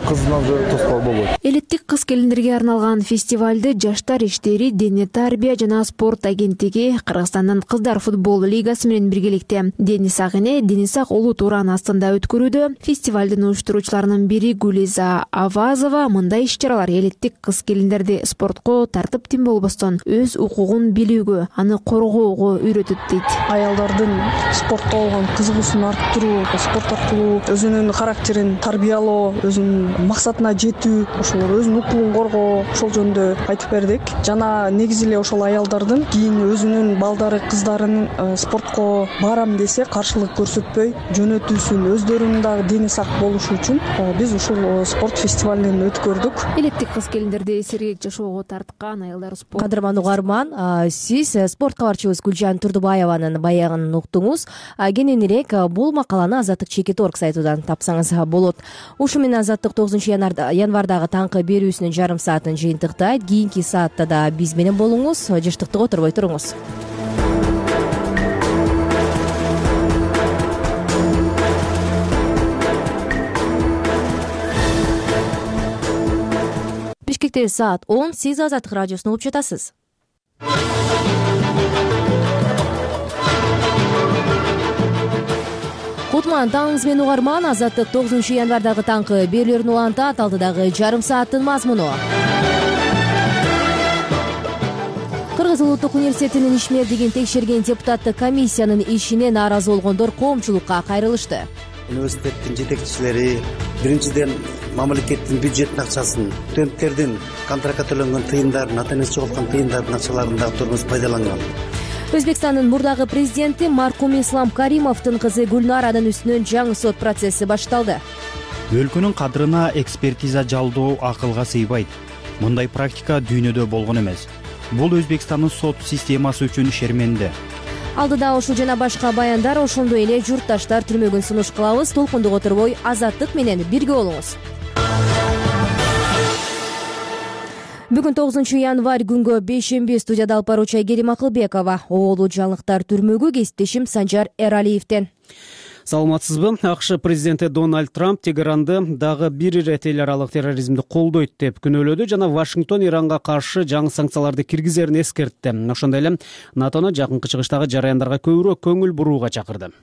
кыздын уже тоспол болбойт. Элиттик кыз келиндерге арналган фестивалды Жаштар иштери, Дене тарбия жана спорт агенттиги Кыргызстандын кыздар футбол лигасы менен биргеликте Денис Ак эне Денис Ак улуу туранын астында өткөрүүдө. Фестивалдын уюштуруучуларынын бири Гулиза Авазова мындай иш-чаралар элиттик кыз келиндерди спортко тартиптин болбостон өз укугун билүүгө, аны коргоого үйрөтөт дейт. Аялдардын спортко болгон кызыгуусун арттыруу, спорт аркылуу өзүнүн характерин тарбиялоо, өзүнүн максатына жетүү, ошол өзүнүн укугун коргоо, ошол жөнүндө айтып бердик. Жана негизи эле ошол аялдардын кийин өзүнүн балдары, кыздарынын спортко барам десе каршылык көрсөтпөй жөнөтүүсүн, өздөрүнүн дагы дени сак болушу үчүн биз ушул спорт фестивалын өткөрдүк. Элиттик кыз келиндерди сергек жашоого тарткан аялдар спорт. Кадырман угарман, сиз спорт кабарчыбыз Гүлжан Турдубаеванын баягын уктуңуз. Кененирээк бул макаланы Азаттык Чекит.org сайтынан тапсаңыз болот. Ушу менен Азаттык 9 январдагы таңкы берүүсүнүн жарым саатын жыйынтыктайт. Кийинки саатта да биз менен болуңуз, жыштыктык отурбой туруңуз. Бишкекте саат 10, сиз Азаттык радиосун угуп жатасыз. Кутман таңыңыз менен угарман, Азаттык 9 январдагы таңкы берүүлөрүн улантат, алдыдагы жарым сааттын мазмуну. Кыргыз Улуттук университетинин ишмердигин текшерген депутаттык комиссиянын ишине нааразы болгондор коомчулукка кайрылышты. Университеттин жетекчилери биринчиден мамлекеттин бюджеттин акчасын, студенттердин контрактка төлөнгөн тыйындарын, ата-энеси жоголткон тыйындардын акчаларын дагы турмуз пайдаланган. Өзбекстандын мурдагы президенти маркум Ислам Каримовдун кызы Гүлнаранын үстүнөн жаңы сот процесси башталды. Өлкөнүн кадырына экспертиза жалдоо акылга сыйбайт. Мындай практика дүйнөдө болгон эмес. Бул Өзбекстандын сот системасы үчүн шерменде. Алдыда ушул жана башка баяндар, ошондой эле журтташтар түрмөгүн сунуш кылабыз. Толкундук отурбой Азаттык менен бирге болуңуз. Бүгүн 9 январь күнгө бейшемби, студияда алып баруучу Айгерим Акылбекова, оолу жаңылыктар түрмөгү, кесиптешим Санжар Эралиевден. Саламатсызбы? АКШ президенти Дональд Трамп Тегеранды дагы бир ирет эл аралык терроризмди колдойт деп күнөөлөдү жана Вашингтон Иранга каршы жаңы санкцияларды киргизерин эскертти. Ошондой эле НАТОну жакынкы чыгыштагы жараяндарга көбүрөөк көңүл бурууга чакырды.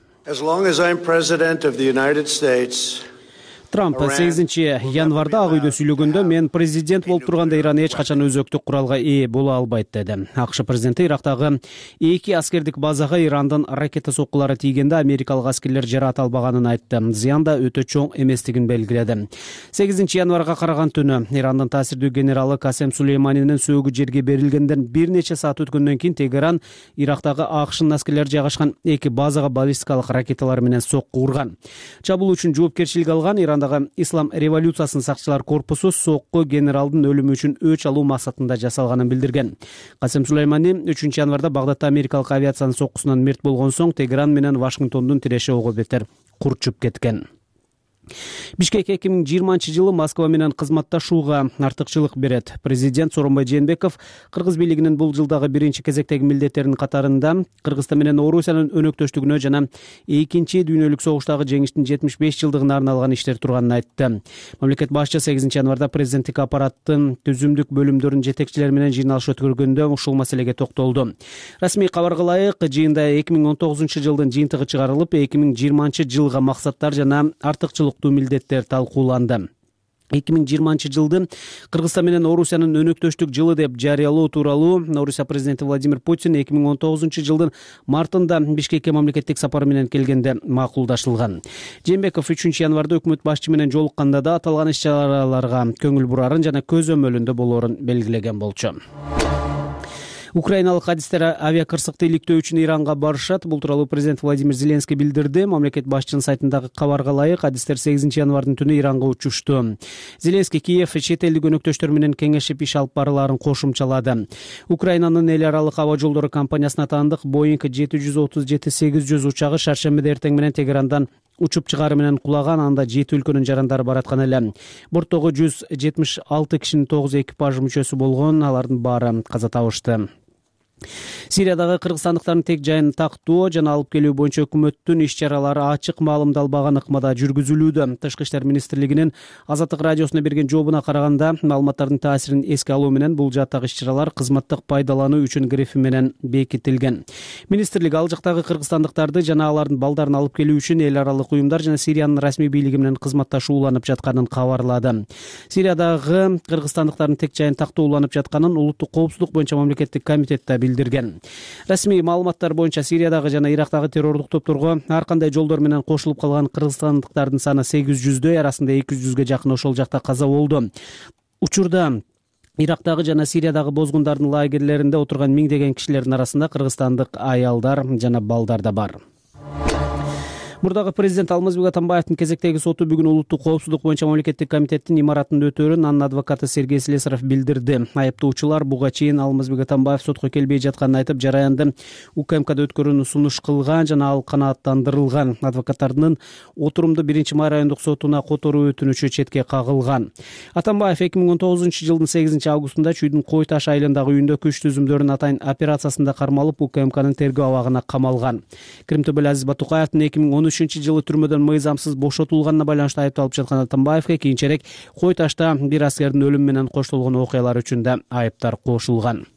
Трамп 8 январда Ак үйдө сүйлөгөндө мен президент болуп турганда Иран эч качан өзөктүк куралга ээ боло албайт деди. АКШ президенти Ирактагы 2 аскердик базага Ирандын ракета соккулары тийгенде америкалык аскерлер жараат албаганын айтты. Зыян да өтө чоң эместигин белгиледи. 8 январга караган түнү Ирандын таасирдүү генералы Касем Сулейманинин сөөгү жерге берилгенден бир нече саат өткөндөн кийин Тегеран Ирактагы АКШнын аскерлери жайгашкан 2 базага баллистикалык ракеталар менен сокку урган. Чабуул үчүн жоопкерчилик алган Ирандагы Ислам революциясынын сакчылар корпусу сокку генералдын өлүмү үчүн өч алуу максатында жасалганын билдирген. Касем Сулеймани 3 январда Багдадта америкалык авиациянын соккусунан мерт болгон соң Тегеран менен Вашингтондун тиреши ого бетер курчуп кеткен. Бишкек 2020-жылы Москва менен кызматташууга артыкчылык берет. Президент Сооронбай Жээнбеков Кыргыз бийлигинин бул жылдагы биринчи кезектеги милдеттеринин катарында Кыргызстан менен Орусиянын өнөктөштүгүнө жана экинчи дүйнөлүк согуштагы жеңиштин 75 жылдыгына арналган иштер турганын айтты. Мамлекет башчы 8 январда президенттик аппараттын түзүмдүк бөлүмдөрүнүн жетекчилери менен жыйналыш өткөргөндө ушул маселеге токтолду. Расмий кабарга ылайык, жыйында 2019 жылдын жыйынтыгы чыгарылып, 2020 жылга максаттар жана артыкчылык милдеттер талкууланды. 2020 жылды Кыргызстан менен Орусиянын өнөктөштүк жылы деп жарыялоо тууралуу Орусия президенти Владимир Путин 2019 жылдын мартында Бишкекке мамлекеттик сапары менен келгенде макулдашылган. Жээнбеков 3 январда өкмөт башчы менен жолукканда да аталган иш-чараларга көңүл бурарын жана көзөмөлүндө болоорун белгилеген болчу. Украиналык адистер авиакырсыкты иликтөө үчүн Иранга барышат. Бул тууралуу президент Владимир Зеленский билдирди. Мамлекет башчынын сайтындагы кабарга ылайык, адистер 8 январдын түнү Иранга учушту. Зеленский Киев чет элдик өнөктөштөр менен кеңешип иш алып барылаарын кошумчалады. Украинанын эл аралык аба жолдору компаниясына таандык Boeing 737-800 учагы шаршембиде эртең менен Тегерандан учуп чыгаары менен кулаган. Анда 7 өлкөнүн жарандары бараткан эле. Борттогу 176 кишинин 9 экипаж мүчөсү болгон. Алардын баары каза табышты. Сириядагы кыргызстандыктардын тек жайын тактоо жана алып келүү боюнча өкмөттүн иш-чаралары ачык маалымдалбаган ыкмада жүргүзүлүүдө. Тышкы иштер министрлигинин Азаттык радиосуна берген жообуна караганда, маалыматтардын таасирин эске алуу менен бул жааттагы иш-чаралар кызматтык пайдалануу үчүн грифи менен бекитилген. Министрлик ал жактагы кыргызстандыктарды жана алардын балдарын алып келүү үчүн эл аралык уюмдар жана Сириянын расмий бийлиги менен кызматташууланып жатканын кабарлады. Сириядагы кыргызстандыктардын тек жайын тактоо уланып жатканын Улуттук коопсуздук боюнча мамлекеттик комитет билдирген. Расмий маалыматтар боюнча Сириядагы жана Ирактагы террордук топторго ар кандай жолдор менен кошулуп калган кыргызстандыктардын саны 800дөй, арасында 200га жакын ошол жакта каза болду. Учурда Ирактагы жана Сириядагы бозгундардын лагерлеринде отурган миңдеген кишилердин арасында кыргызстандык аялдар жана балдар да бар. Мурдагы президент Алмазбек Атамбаевдин кезектеги соту бүгүн Улуттук коопсуздук боюнча мамлекеттик комитеттин имаратынын өтөөрүн анын адвокаты Сергей Слесарев билдирди. Айыптоочулар буга чейин Алмазбек Атамбаев сотко келбей жатканын айтып, жараянды УКМКда өткөрүүнү сунуш кылган жана ал канааттандырылган. Адвокаттардын отурумду 1-май райондук сотуна которуу өтүнүчү четке кагылган. Атамбаев 2019 жылдын 8 августунда Чүйдүн Кой Таш айылындагы үйүндө күч түзүмдөрүн атайын операциясында кармалып, УКМКнын тергөө абагына камалган. Крим Төбөл Азиз Батукаевдин 2013 жылы түрмөдөн мыйзамсыз бошотулганына байланыштуу айыпталып жаткан Атамбаевге кийинчерээк Кой Ташта бир аскердин өлүмү менен коштолгон окуялар үчүн да айыптар кошулган.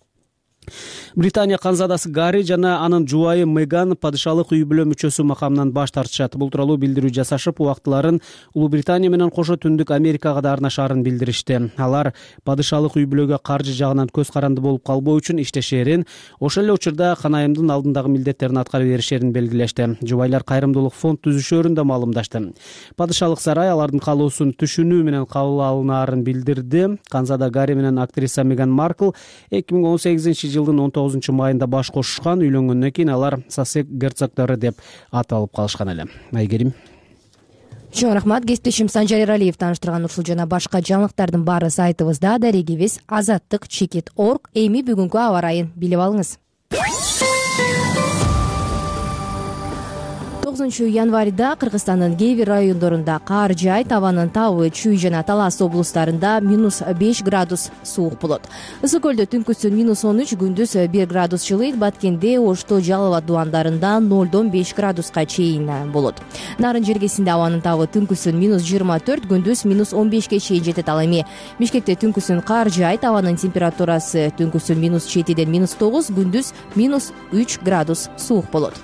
Британия канзадасы Гарри жана анын жубайы Меган падышалык үй бүлө мүчөсү макамынан баш тартышат. Бул тууралуу билдирүү жасашып, убактыларын Улуу Британия менен кошо Түндүк Америкага да арнашаарын билдиришти. Алар падышалык үй бүлөгө каржы жагынан көз каранды болуп калбоо үчүн иштешерин, ошол эле учурда канайымдын алдындагы милдеттерин аткара беришерин белгилешти. Жубайлар кайрымдуулук фонд түзүшөрүн да маалымдашты. Падышалык сарай алардын каалоосун түшүнүү менен кабыл алынаарын билдирди. Канзада Гарри менен актриса Меган Маркл 2018 жылдын 19 майында баш кошушкан. Үйлөнгөндөн кийин алар Сассек герцогдору деп аталып калышкан эле. Айгерим. Чоң рахмат. Кесиптешим Санжар Эралиев тааныштырган ушул жана башка жаңылыктардын баары сайтыбызда, дарегибиз azаттык.org. Эми бүгүнкү аба ырайын билип алыңыз. 9 январда Кыргызстандын кээ бир райондорунда кар жаайт, абанын табы Чүй жана Талас облустарында -5 градус суук болот. Ысык көлдө түнкүсүн -13, күндүз 1 градус жылыйт. Баткенде, Ошто, Жалал абад дубандарында 0-дон 5 градуска чейин болот. Нарын жергесинде абанын табы түнкүсүн -24, күндүз -15ге чейин жетет. Ал эми Бишкекте түнкүсүн кар жаайт, абанын температурасы түнкүсүн -7ден -9, күндүз -3 градус суук болот.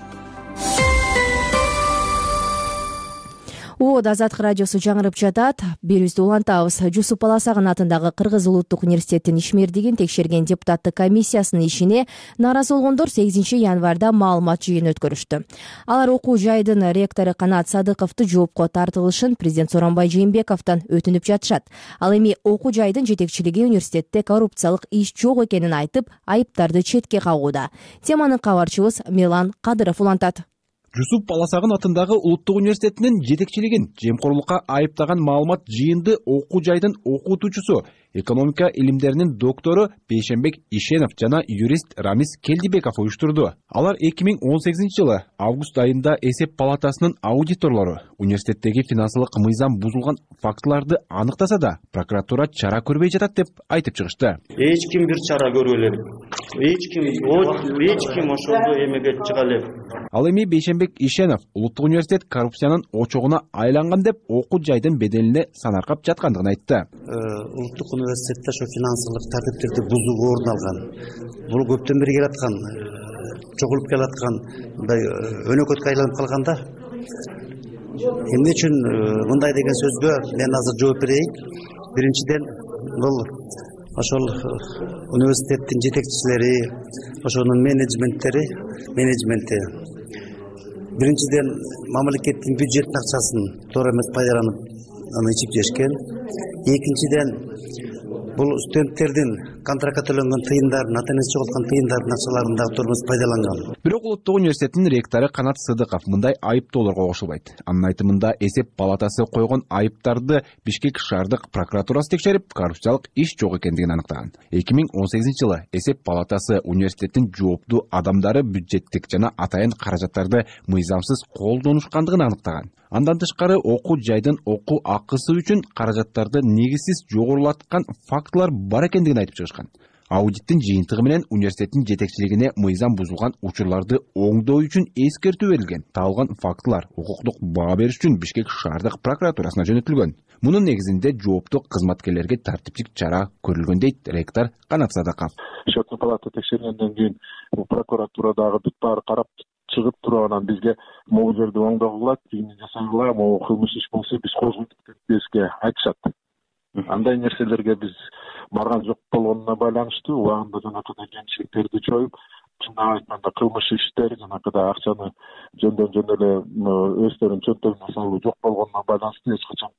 Азаттык радиосу жаңырып жатат. Берүүбүздү улантабыз. Жусуп Баласагын атындагы Кыргыз улуттук университетинин ишмердигин текшерген депутаттык комиссиясынын ишине нааразы болгондор 8 январда маалымат жыйыны өткөрүштү. Алар окуу жайдын ректору Канат Садыковду жоопко тартылышын президент Сооронбай Жээнбековдон өтүнүп жатышат. Ал эми окуу жайдын жетекчилиги университетте коррупциялык иш жок экенин айтып, айыптарды четке кагууда. Теманы кабарчыбыз Мелан Кадыров улантат. Жусуп Баласагын атындагы Улуттук университетинин жетекчилигин жемкорлукка айыптаган маалымат жыйынды окуу жайдын окутуучусу, экономика илимдеринин доктору Бейшенбек Ишенов жана юрист Рамис Келдибеков уюштурду. Алар 2018 жылы август айында эсеп палатасынын аудиторлору университеттеги финансылык мыйзам бузулган фактыларды аныктаса да, прокуратура чара көрбөй жатат деп айтып чыгышты. Эч ким бир чара көрбөй элек. Эч ким ошондо эмеге чыга элек. Ал эми Бейшенбек Ишенов Улуттук университет коррупциянын очогуна айланган деп окуу жайдын беделине санаркап жаткандыгын айтты. Улуттук университетте ошо финансылык тартиптерди бузууга орун алган. Бул көптөн бери келаткан, чогулуп келаткан мындай өнөкөткө айланып калганда эмне үчүн мындай деген сөзгө мен азыр жооп берейин. Биринчиден, бул ошол университеттин жетекчилери, ошонун менеджменти биринчиден мамлекеттин бюджеттин акчасын туура эмес пайдаланып аны ичип жешкен. Экинчиден бул студенттердин контрактка төлөнгөн тыйындарын, ата энеси жоголткон тыйындардын акчаларын дагы турмуз пайдаланган. Бирок Улуттук университеттин ректору Канат Сыдыков мындай айыптоолорго кошулбайт. Анын айтымында эсеп палатасы койгон айыптарды Бишкек шаардык прокуратурасы текшерип, коррупциялык иш жок экендигин аныктаган. 2018-жылы эсеп палатасы университеттин жооптуу адамдары бюджеттик жана атайын каражаттарды мыйзамсыз колдонушкандыгын аныктаган. Андан тышкары окуу жайдын окуу акысы үчүн каражаттарды негизсиз жогорулаткан фактылар бар экендигин айтып чыгышкан. Аудиттин жыйынтыгы менен университеттин жетекчилигине мыйзам бузулган учурларды оңдоо үчүн эскертүү берилген. Табылган фактылар укуктук баа бериш үчүн Бишкек шаардык прокуратурасына жөнөтүлгөн. Мунун негизинде жооптуу кызматкерлерге тартиптик чара көрүлгөн дейт ректор Канат Сыдыков. Счетный палата текшергенден кийин прокуратурадагы бүт баары карап чыгып туруп анан бизге могу жерди оңдогула, тигини жасагыла, могу кылмыш иш болсо биз козгойтук деп бизге айтышат. Андай нерселерге биз барган жок болгонуна байланыштуу убагында жанакыдай кемчиликтерди жоюп, чындап айтканда кылмыш иштер жанакыдай акчаны жөндөн эле өздөрүнүн чөнтөгүнө салуу жок болгонуна байланыштуу эч качан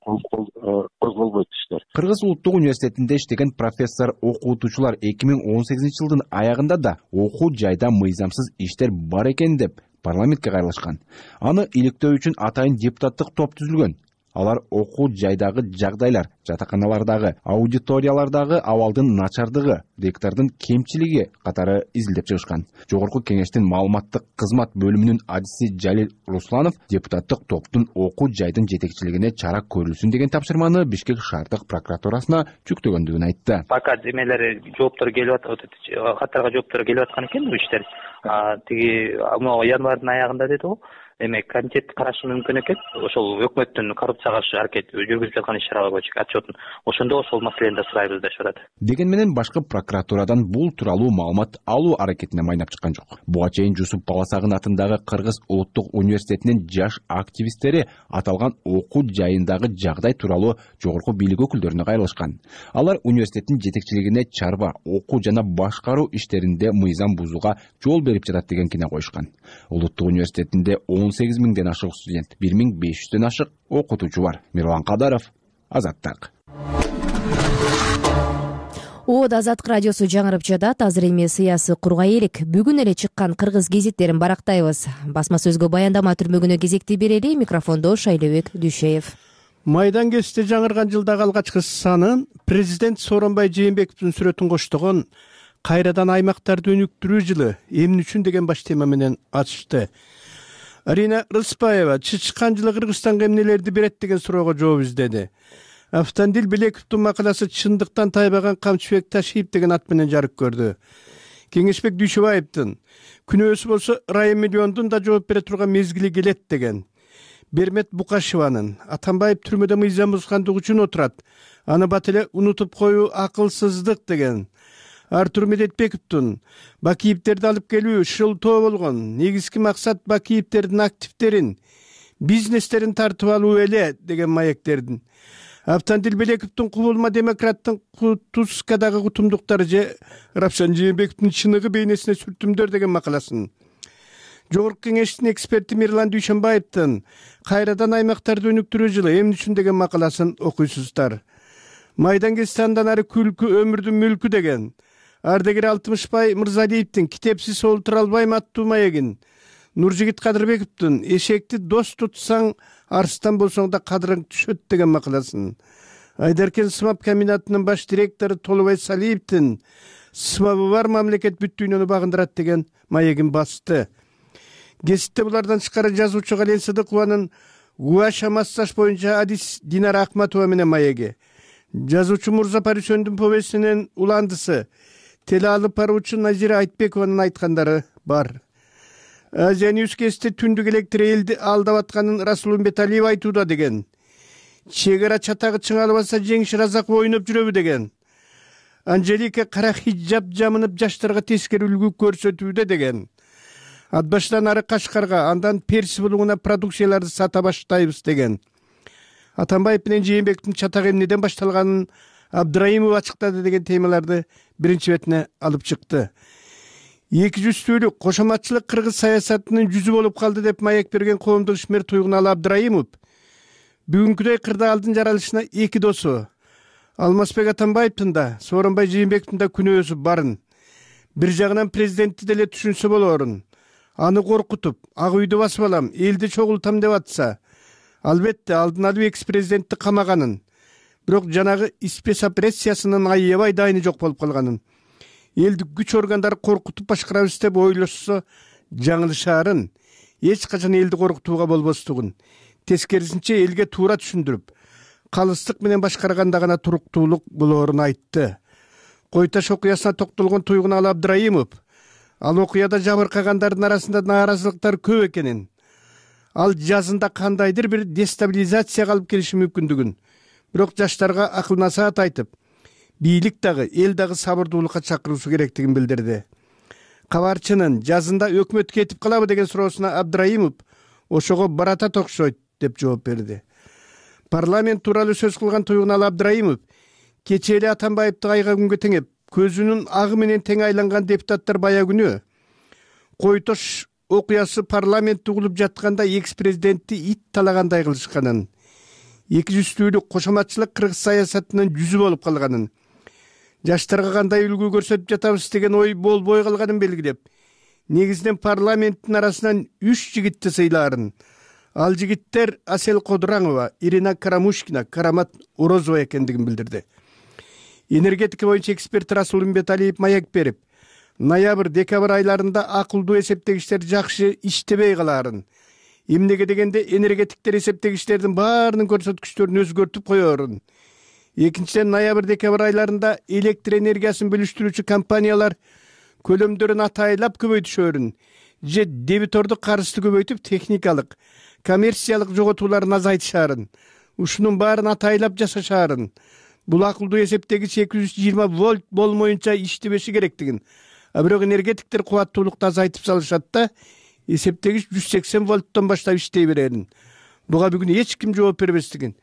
козголбойт иштер. Кыргыз Улуттук университетинде иштеген профессор окутуучулар 2018-жылдын аягында да окуу жайда мыйзамсыз иштер бар экен деп парламентке кайрылышкан. Аны иликтөө үчүн атайын депутаттык топ түзүлгөн. Алар окуу жайдагы жагдайлар, жатаканалардагы, аудиториялардагы абалдын начардыгы, ректордун кемчилиги катары изилдеп чыгышкан. Жогорку кеңештин маалыматтык кызмат бөлүмүнүн адиси Жалил Русланов депутаттык топтун окуу жайдын жетекчилигине чара көрүлсүн деген тапшырманы Бишкек шаардык прокуратурасына жүктөгөндүгүн айтты. Пока эмелер жооптор келип атат, каттарга жооптор келип аткан экен бул иштер. Тиги январдын аягында деди го. Эми комитет карашы мүмкүн экен. Ошол өкмөттүн коррупцияга каршы аракет жүргүзүп жаткан иш-чаралар боюнча отчетун ошондо ошол маселени да сурайбыз деп атат. Деген менен башкы прокуратурадан бул тууралуу маалымат алуу аракетине майнап чыккан жок. Буга чейин Жусуп Баласагын атындагы Кыргыз Улуттук университетинин жаш активисттери аталган окуу жайындагы жагдай тууралуу жогорку бийлик өкүлдөрүнө кайрылышкан. Алар университеттин жетекчилигине чарба, окуу жана башкаруу иштеринде мыйзам бузууга жол берип жатат деген кине коюшкан. Улуттук университетинде 18 миңден ашык студент, 1500дөн ашык окутуучу бар. Мирлан Кадаров, Азаттык. Од Азаттык радиосу жаңырып жатат. Азыр эми сыясы кургай элек. Бүгүн эле чыккан кыргыз гезиттерин барактайбыз. Басма сөзгө баяндама түрмөгүнө кезекти берели. Микрофондо Шайлебек Дүйшеев. Майдан кезинде жаңырган жылдагы алгачкы санын президент Сооронбай Жээнбековдун сүрөтүн коштогон кайрадан аймактарды өнүктүрүү жылы эмне үчүн деген баш тема менен ачышты. Арина Рыспаева чычкан жылы Кыргызстанга эмнелерди берет деген суроого жооп издеди. Автандил Белековдун макаласы чындыктан тайбаган Камчыбек Ташиев деген ат менен жарык көрдү. Кеңешбек Дүйшөбаевдин күнөөсү болсо Райым Миллиондун да жооп бере турган мезгили келет деген. Бермет Букашеванын Атамбаев түрмөдө мыйзам бузгандыгы үчүн отурат, аны бат эле унутуп коюу акылсыздык деген. Артур Медетбековдун Бакиевтерди алып келүү шылтоо болгон, негизги максат Бакиевтердин активдерин, бизнестерин тартып алуу эле деген маектердин. Автандил Белековдун Кубулма демократтын Кутузкадагы кутумдуктары же Равшан Жээнбековдун чыныгы бейнесине сүртүмдөр деген макаласын. Жогорку кеңештин эксперти Мирлан Дүйшөнбаевдин кайрадан аймактарды өнүктүрүү жылы эмне үчүн деген макаласын окуйсуздар. Майдан кезинде андан ары күлкү өмүрдүн мүлкү деген. Ардегер Алтымышбай Мырзалиевдин Китепсиз олтура албайм аттуу маегин, Нуржигит Кадырбековдун Эшекти дос тутсаң арстан болсоң да кадырың түшөт деген макаласын. Айдаркен сымап комбинатынын баш директору Толубай Салиевдин сымабы бар мамлекет бүт дүйнөнү багындырат деген маегин басты. Гезитте булардан тышкары жазуучу Гален Сыдыкованын Гуаша массаж боюнча адис Динара Акматова менен маеги, жазуучу Мурза Парисөндүн повестинин уландысы теле алып баруучу Назира Айтбекованын айткандары бар. Азия Ньюс кезинде түндүк электр элди алдап атканын Расул Умбеталиев айтууда деген. Чегара чатагы чыңалбаса Жеңиш Разаков ойноп жүрөбү деген. Анжелика кара хиджаб жамынып жаштарга тескери үлгү көрсөтүүдө деген. Атбаштан ары Кашкарга, андан Перси булуңуна продукцияларды сата баштайбыз деген. Атамбаев менен Жээнбековдун чатак эмнеден башталганын Абдраимов ачыктады деген темаларды биринчи бетине алып чыкты. 200-түлүк кошоматчылык кыргыз саясатынын жүзү болуп калды деп маек берген коомдук ишмер Туйгуналы Абдраимов бүгүнкүдөй кырдаалдын жаралышына эки досу Алмазбек Атамбаевдин да, Сооронбай Жээнбековдун да күнөөсү барын. Бир жагынан президентти деле түшүнсө болорун. Аны коркутуп, ак үйдү басып алам, элди чогултам деп атса, албетте алдын алып экс-президентти камаганын, бирок жанагы спецоперациясынын аябай дайыны жок болуп калганын, элди күч органдары коркутуп башкарабыз деп ойлошсо жаңылышаарын, эч качан элди коркутууга болбостугун, тескерисинче элге туура түшүндүрүп, калыстык менен башкарганда гана туруктуулук болоорун айтты. Кой Таш окуясына токтолгон Туйгуналы Абдраимов ал окуяда жабыркагандардын арасында нааразылыктар көп экенин, ал жазында кандайдыр бир дестабилизацияга алып келиши мүмкүндүгүн, бирок жаштарга акыл насаат айтып, бийлик дагы, эл дагы сабырдуулукка чакыруусу керектигин билдирди. Кабарчынын жазында өкмөт кетип калабы деген суроосуна Абдраимов ошого баратат окшойт деп жооп берди. Парламент тууралуу сөз кылган Туйгуналы Абдраимов кечээ эле Атамбаевди айга күнгө теңеп, көзүнүн агы менен тең айланган депутаттар бая күнү Кой Таш окуясы парламентти угулуп жатканда экс-президентти ит талагандай кылышканын, эки жүздүүлүк кошоматчылык кыргыз саясатынын жүзү болуп калганын, жаштарга кандай үлгү көрсөтүп жатабыз деген ой болбой калганын белгилеп, негизинен парламенттин арасынан 3 жигитти сыйлаарын. Ал жигиттер Асел Кодуранова, Ирина Карамушкина, Карамат Орозова экендигин билдирди. Энергетика боюнча эксперт Расул Имбеталиев маек берип, ноябрь-декабрь айларында акылдуу эсептегичтер жакшы иштебей калаарын, эмнеге дегенде энергетиктер эсептегичтердин баарынын көрсөткүчтөрүн өзгөртүп коёрун. Экинчиден, ноябрь-декабрь айларында электр энергиясын бөлүштүрүүчү компаниялар көлөмдөрүн атайлап көбөйтүшөрүн же дебиторду карызды көбөйтүп техникалык, коммерциялык жоготууларын азайтышаарын, ушунун баарын атайлап жасашаарын, бул акылдуу эсептегич 220 вольт болмоюнча иштебеши керектигин, бирок энергетиктер кубаттуулукту азайтып салышат да, эсептегич 180 вольттон баштап иштей берерин. Буга бүгүн эч ким жооп бербестигин,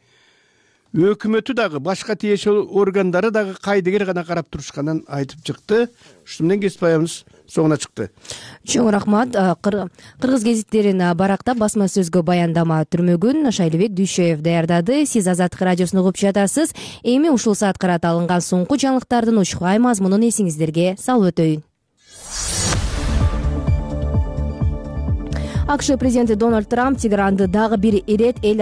өкмөтү дагы, башка тиешелүү органдары дагы кайдыгер гана карап турушканын айтып чыкты. Ушун менен кесип аябыз соңуна чыкты. Чоң рахмат. Кыргыз гезиттерин барактап басма сөзгө баяндама түрмөгүн Шайлыбек Дүйшөев даярдады. Сиз Азаттык радиосун угуп жатасыз. Эми ушул саат карата алынган соңку жаңылыктардын учкай мазмунун эсиңиздерге салып өтөйүн. АКШ президенти Дональд Трамп Тегеранды дагы бир ирет эл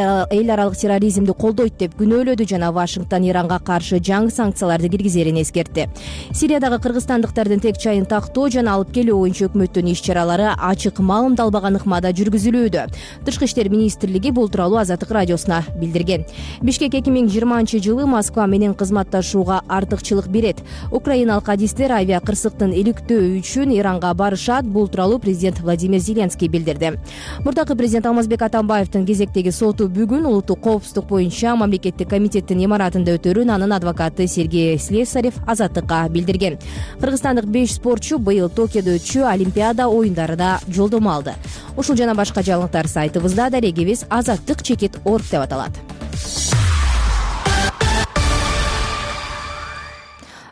аралык терроризмди колдойт деп күнөөлөдү жана Вашингтон Иранга каршы жаңы санкцияларды киргизерин эскертти. Сириядагы кыргызстандыктардын тек чайын тактоо жана алып келүү боюнча өкмөттүн иш-чаралары ачык маалымдалбаган ыкмада жүргүзүлүүдө. Тышкы иштер министрлиги бул тууралуу Азаттык радиосуна билдирген. Бишкек 2020-жылы Москва менен кызматташууга артыкчылык берет. Украиналык адистер авиа кырсыктын иликтөө үчүн Иранга барышат. Бул тууралуу президент Владимир Зеленский билдирди. Мурдакы президент Алмазбек Атамбаевдин кезектеги соту бүгүн улуттук коопсуздук боюнча мамлекеттик комитеттин имаратында өтөрүн анын адвокаты Сергей Слесарев Азаттыкка билдирген. Кыргызстандык 5 спортчу быйыл Токиодо өтчү Олимпиада оюндарында жолдомо алды. Ушул жана башка жаңылыктар сайтыбызда, дарегибиз azattik.org деп аталат.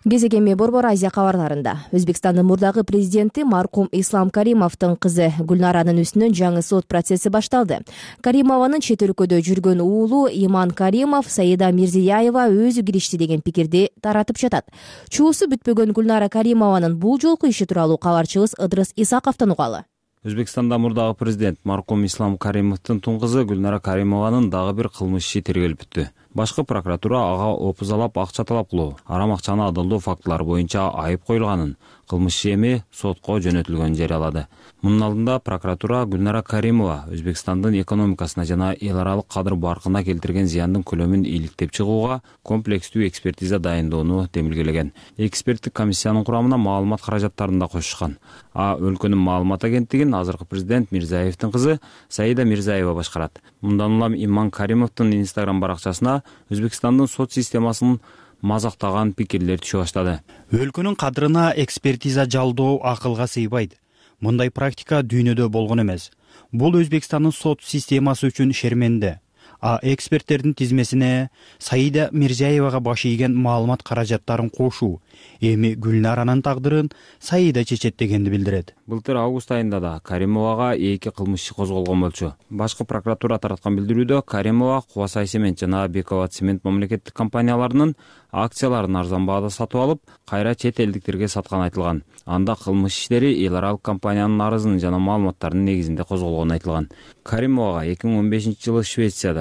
Кезек эми Борбор Азия кабарларында. Өзбекстандын мурдагы президенти маркум Ислам Каримовдун кызы Гүлнаранын үстүнөн жаңы сот процесси башталды. Каримованын чет өлкөдө жүргөн уулу Иман Каримов Саида Мирзияева өзү киришти деген пикирди таратып жатат. Чуусу бүтпөгөн Гүлнара Каримованын бул жолку иши тууралуу кабарчыбыз Ыдрыс Исаковдон угалы. Өзбекстанда мурдагы президент маркум Ислам Каримовдун тун кызы Гүлнара Каримованын дагы бир кылмыш иши тергелип бүттү. Башкы прокуратура ага опузалап акча талап кылуу, арам акчаны адалдоо фактылары боюнча айып коюлганын, кылмыш иши эми сотко жөнөтүлгөнүн жарыялады. Мунун алдында прокуратура Гүлнара Каримова Өзбекстандын экономикасына жана эл аралык кадыр баркына келтирген зыяндын көлөмүн иликтеп чыгууга комплекстүү экспертиза дайындоону демилгелеген. Эксперттик комиссиянын курамына маалымат каражаттарын да кошушкан. Өлкөнүн маалымат агенттигин азыркы президент Мирзиевдин кызы Саида Мирзиева башкарат. Мындан улам Иман Каримовдун Instagram баракчасына Өзбекстандын сот системасын мазактаган пикирлер түшө баштады. Өлкөнүн кадырына экспертиза жалдоо акылга сыйбайт. Мындай практика дүйнөдө болгон эмес. Бул Өзбекстандын сот системасы үчүн шерменде. Эксперттердин тизмесине Саида Мирзиевага баш ийген маалымат каражаттарын кошуу, Эми Гүлнаранын тагдырын Саида чечет дегенди билдирет. Былтыр август айында да Каримовага 2 кылмыш иши козголгон болчу. Башкы прокуратура тараткан билдирүүдө Каримова Кубасай цемент жана Бековат цемент мамлекеттик компанияларынын акцияларын арзан баада сатып алып, кайра чет элдиктерге сатканы айтылган. Анда кылмыш иштери эл аралык компаниянын арызын жана маалыматтарынын негизинде козголгону айтылган. Каримовага 2015-жылы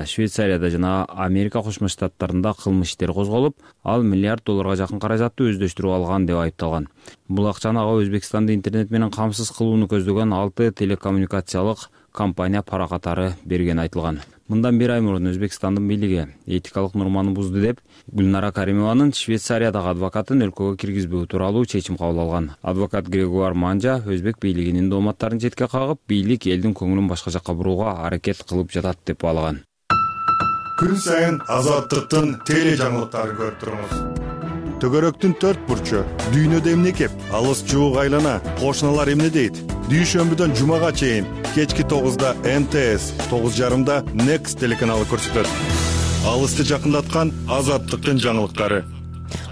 Швейцарияда жана Америка Кошмо Штаттарында кылмыш иштери козголуп, ал $1 миллиард жакын каражатты өздөштүрүп алган деп айыпталган. Бул акчаны ага Өзбекстанды интернет менен камсыз кылууну көздөгөн 6 телекоммуникациялык компания пара катары берген айтылган. Мындан 1 ай мурун Өзбекстандын бийлиги этикалык норманы бузду деп Гүлнара Каримованын Швейцариядагы адвокатын өлкөгө киргизбөө тууралуу чечим кабыл алган. Адвокат Грегуар Манжа өзбек бийлигинин дооматтарын четке кагып, бийлик элдин көңүлүн башка жакка бурууга аракет кылып жатат деп баалаган. Күн сайын Азаттыктын теле жаңылыктарын көрүп туруңуз. Төгөрөктүн 4 бурчу, дүйнөдө эмне кеп, алыс жуук айлана, кошуналар эмне дейт? Дүйшөмбүдөн жумага чейин кечки 9-да МТС, 9:30-да Next телеканалы көрсөтөт. Алысты жакындаткан Азаттыктын жаңылыктары.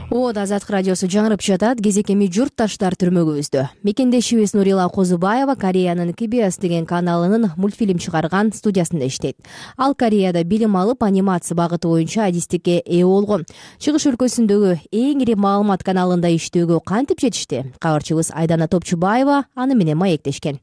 Азаттык радиосу жаңырып жатат. Кезек эми журтташтар түрмөгүбүздө. Мекендешибиз Нурила Козубаева Кореянын KBS деген каналынын мультфильм чыгарган студиясында иштейт. Ал Кореяда билим алып, анимация багыты боюнча адистикке ээ болгон. Чыгыш өлкөсүндөгү эң ири маалымат каналында иштөөгө кантип жетишти? Кабарчыбыз Айдана Топчубаева аны менен маектешкен.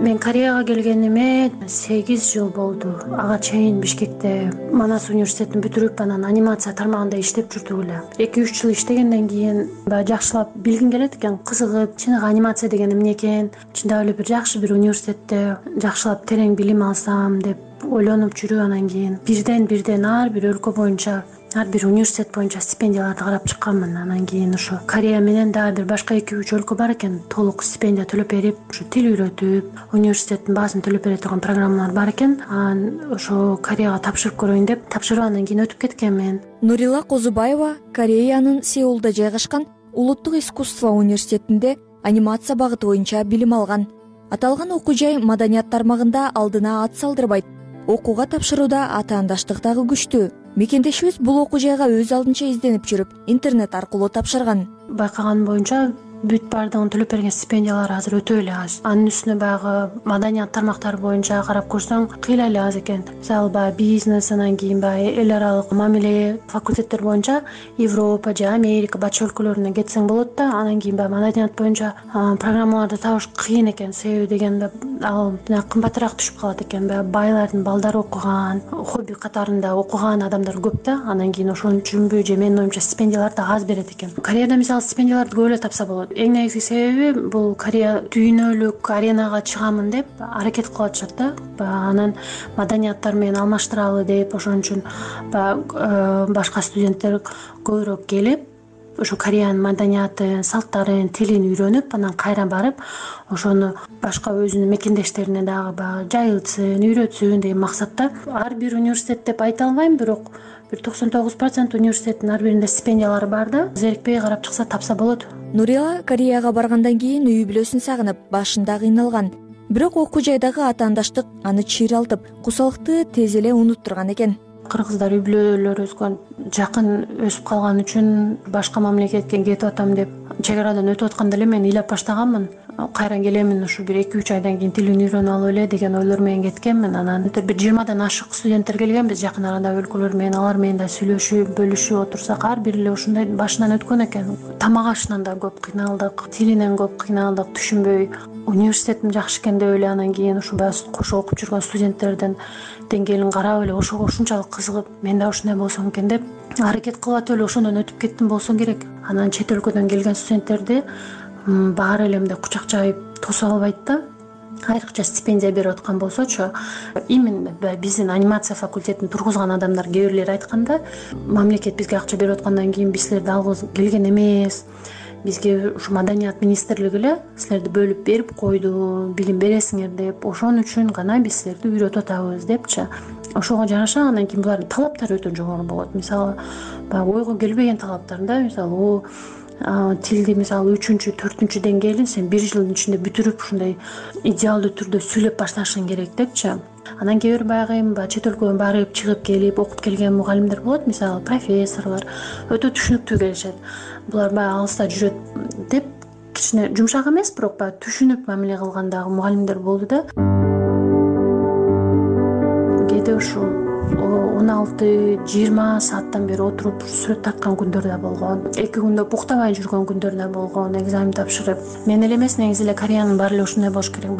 Мен Кореяга келгениме 8 жыл болду. Ага чейин Бишкекте Манас университетин бүтүрүп, анан анимация тармагында иштеп жүрдүк эле. 2-3 жыл иштегенден кийин жакшылап билгим келет экен, кызыгып, чыныгы анимация деген эмне экен, чындап эле бир жакшы бир университетте жакшылап терең билим алсам деп ойлонуп жүрүп, анан кийин бирден ар бир өлкө боюнча, ар бир университет боюнча стипендияларды карап чыкканмын. Анан кийин ошо Корея менен дагы бир башка 2-3 өлкө бар экен, толук стипендия төлөп берип, ушу тил үйрөтүп, университеттин баасын төлөп бере турган программалар бар экен. Анан ошо Кореяга тапшырып көрөйүн деп тапшырып, анан кийин өтүп кеткенмин. Нурила Козубаева Кореянын Сеулда жайгашкан Улуттук искусство университетинде анимация багыты боюнча билим алган. Аталган окуу жай маданият тармагында алдына ат салдырбайт. Окууга тапшырууда атаандаштык дагы күчтүү. Мекендешибиз бул окуу жайга өз алдынча изденип жүрүп, интернет аркылуу тапшырган. Байкаган боюнча бүт баардыгын төлөп берген стипендиялар азыр өтө эле аз. Анын үстүнө баягы маданият тармактары боюнча карап көрсөң кыйла эле аз экен. Мисалы баягы бизнес, анан кийин баягы эл аралык мамиле факультеттер боюнча Европа же Америка батыш өлкөлөрүнө кетсең болот да, анан кийин баягы маданият боюнча программаларды табыш кыйын экен. Себеби дегенде ал кымбатыраак түшүп калат экен. Баягы байлардын балдары окуган, хобби катарында окуган адамдар көп да. Анан кийин ошон үчүнбү же менин оюмча стипендияларды аз берет экен. Кореяда мисалы стипендияларды көп эле тапса болот. Эң негизги себеби бул Корея дүйнөлүк аренага чыгамын деп аракет кылып атышат да. Анан маданияттар менен алмаштыралы деп, ошон үчүн башка студенттер көбүрөөк келип, ошо Кореянын маданиятын, салттарын, тилин үйрөнүп, анан кайра барып, ошону башка өзүнүн мекендештерине дагы жайылтсын, үйрөтсүн деген максатта. Ар бир университет деп айта албайм, бирок бир 99% университеттин ар биринде стипендиялары бар да. Зерикпей карап чыкса тапса болот. Нурила Кореяга баргандан кийин үй бүлөсүн сагынып, башында кыйналган. Бирок окуу жайдагы атаандаштык аны чыйралтып, кусалыкты тез эле унуттурган экен. Кыргыздар үй бүлөлөр өскөн, жакын өсүп калган үчүн башка мамлекетке кетип атам деп чек арадан өтүп атканда эле мен ыйлап баштаганмын. Кайра келемин, ушу бир 2-3 айдан кийин тилин үйрөнүп алып эле деген ойлор менен кеткенмин. Анан бир 20дан ашык студенттер келгенбиз жакын арада өлкөлөр менен, алар менен да сүйлөшүп, бөлүшүп отурсак, ар бири эле ушундай башынан өткөн экен. Тамак ашынан да көп кыйналдык, тилинен көп кыйналдык, түшүнбөй. Университетим жакшы экен деп эле анан кийин ушу кошо окуп жүргөн студенттердин деңгээлин карап эле ошого ушунчалык кызыгып, мен да ушундай болсом экен деп аракет кылып атып эле ошондон өтүп кеттим болсо керек. Анан чет өлкөдөн келген студенттерди баары эле мындай кучак жайып тосо албайт да. Айрыкча стипендия берип аткан болсочу, именно биздин анимация факультетин тургузган адамдар кээ бирлери айтканда, мамлекет бизге акча берип аткандан кийин биз силерди алгыбыз келген эмес. Бизге ушу маданият министрлиги эле силерди бөлүп берип койду, билим бересиңер деп, ошон үчүн гана биз силерди үйрөтүп атабыз депчи. Ошого жараша анан кийин булардын талаптары өтө жогору болот. Мисалы, ойго келбеген талаптар да, мисалы, тилди мисалы 3-4 деңгээлин сен 1 жылдын ичинде бүтүрүп ушундай идеалдуу түрдө сүйлөп башташың керек депчи. Анан кээ бир баягы чет өлкөгө барып чыгып келип окуп келген мугалимдер болот, мисалы профессорлор өтө түшүнүктүү келишет. Булар баягы алыста жүрөт деп кичине жумшак эмес, бирок баягы түшүнүп мамиле кылган дагы мугалимдер болду да. Кээде ушул 16-20 сааттан бери отуруп сүрөт тарткан күндөр да болгон, 2 күндө буктабай жүргөн күндөр да болгон, экзамен тапшырып. Мен эле эмес, негизи эле Кореянын баары эле ушундай болуш керек.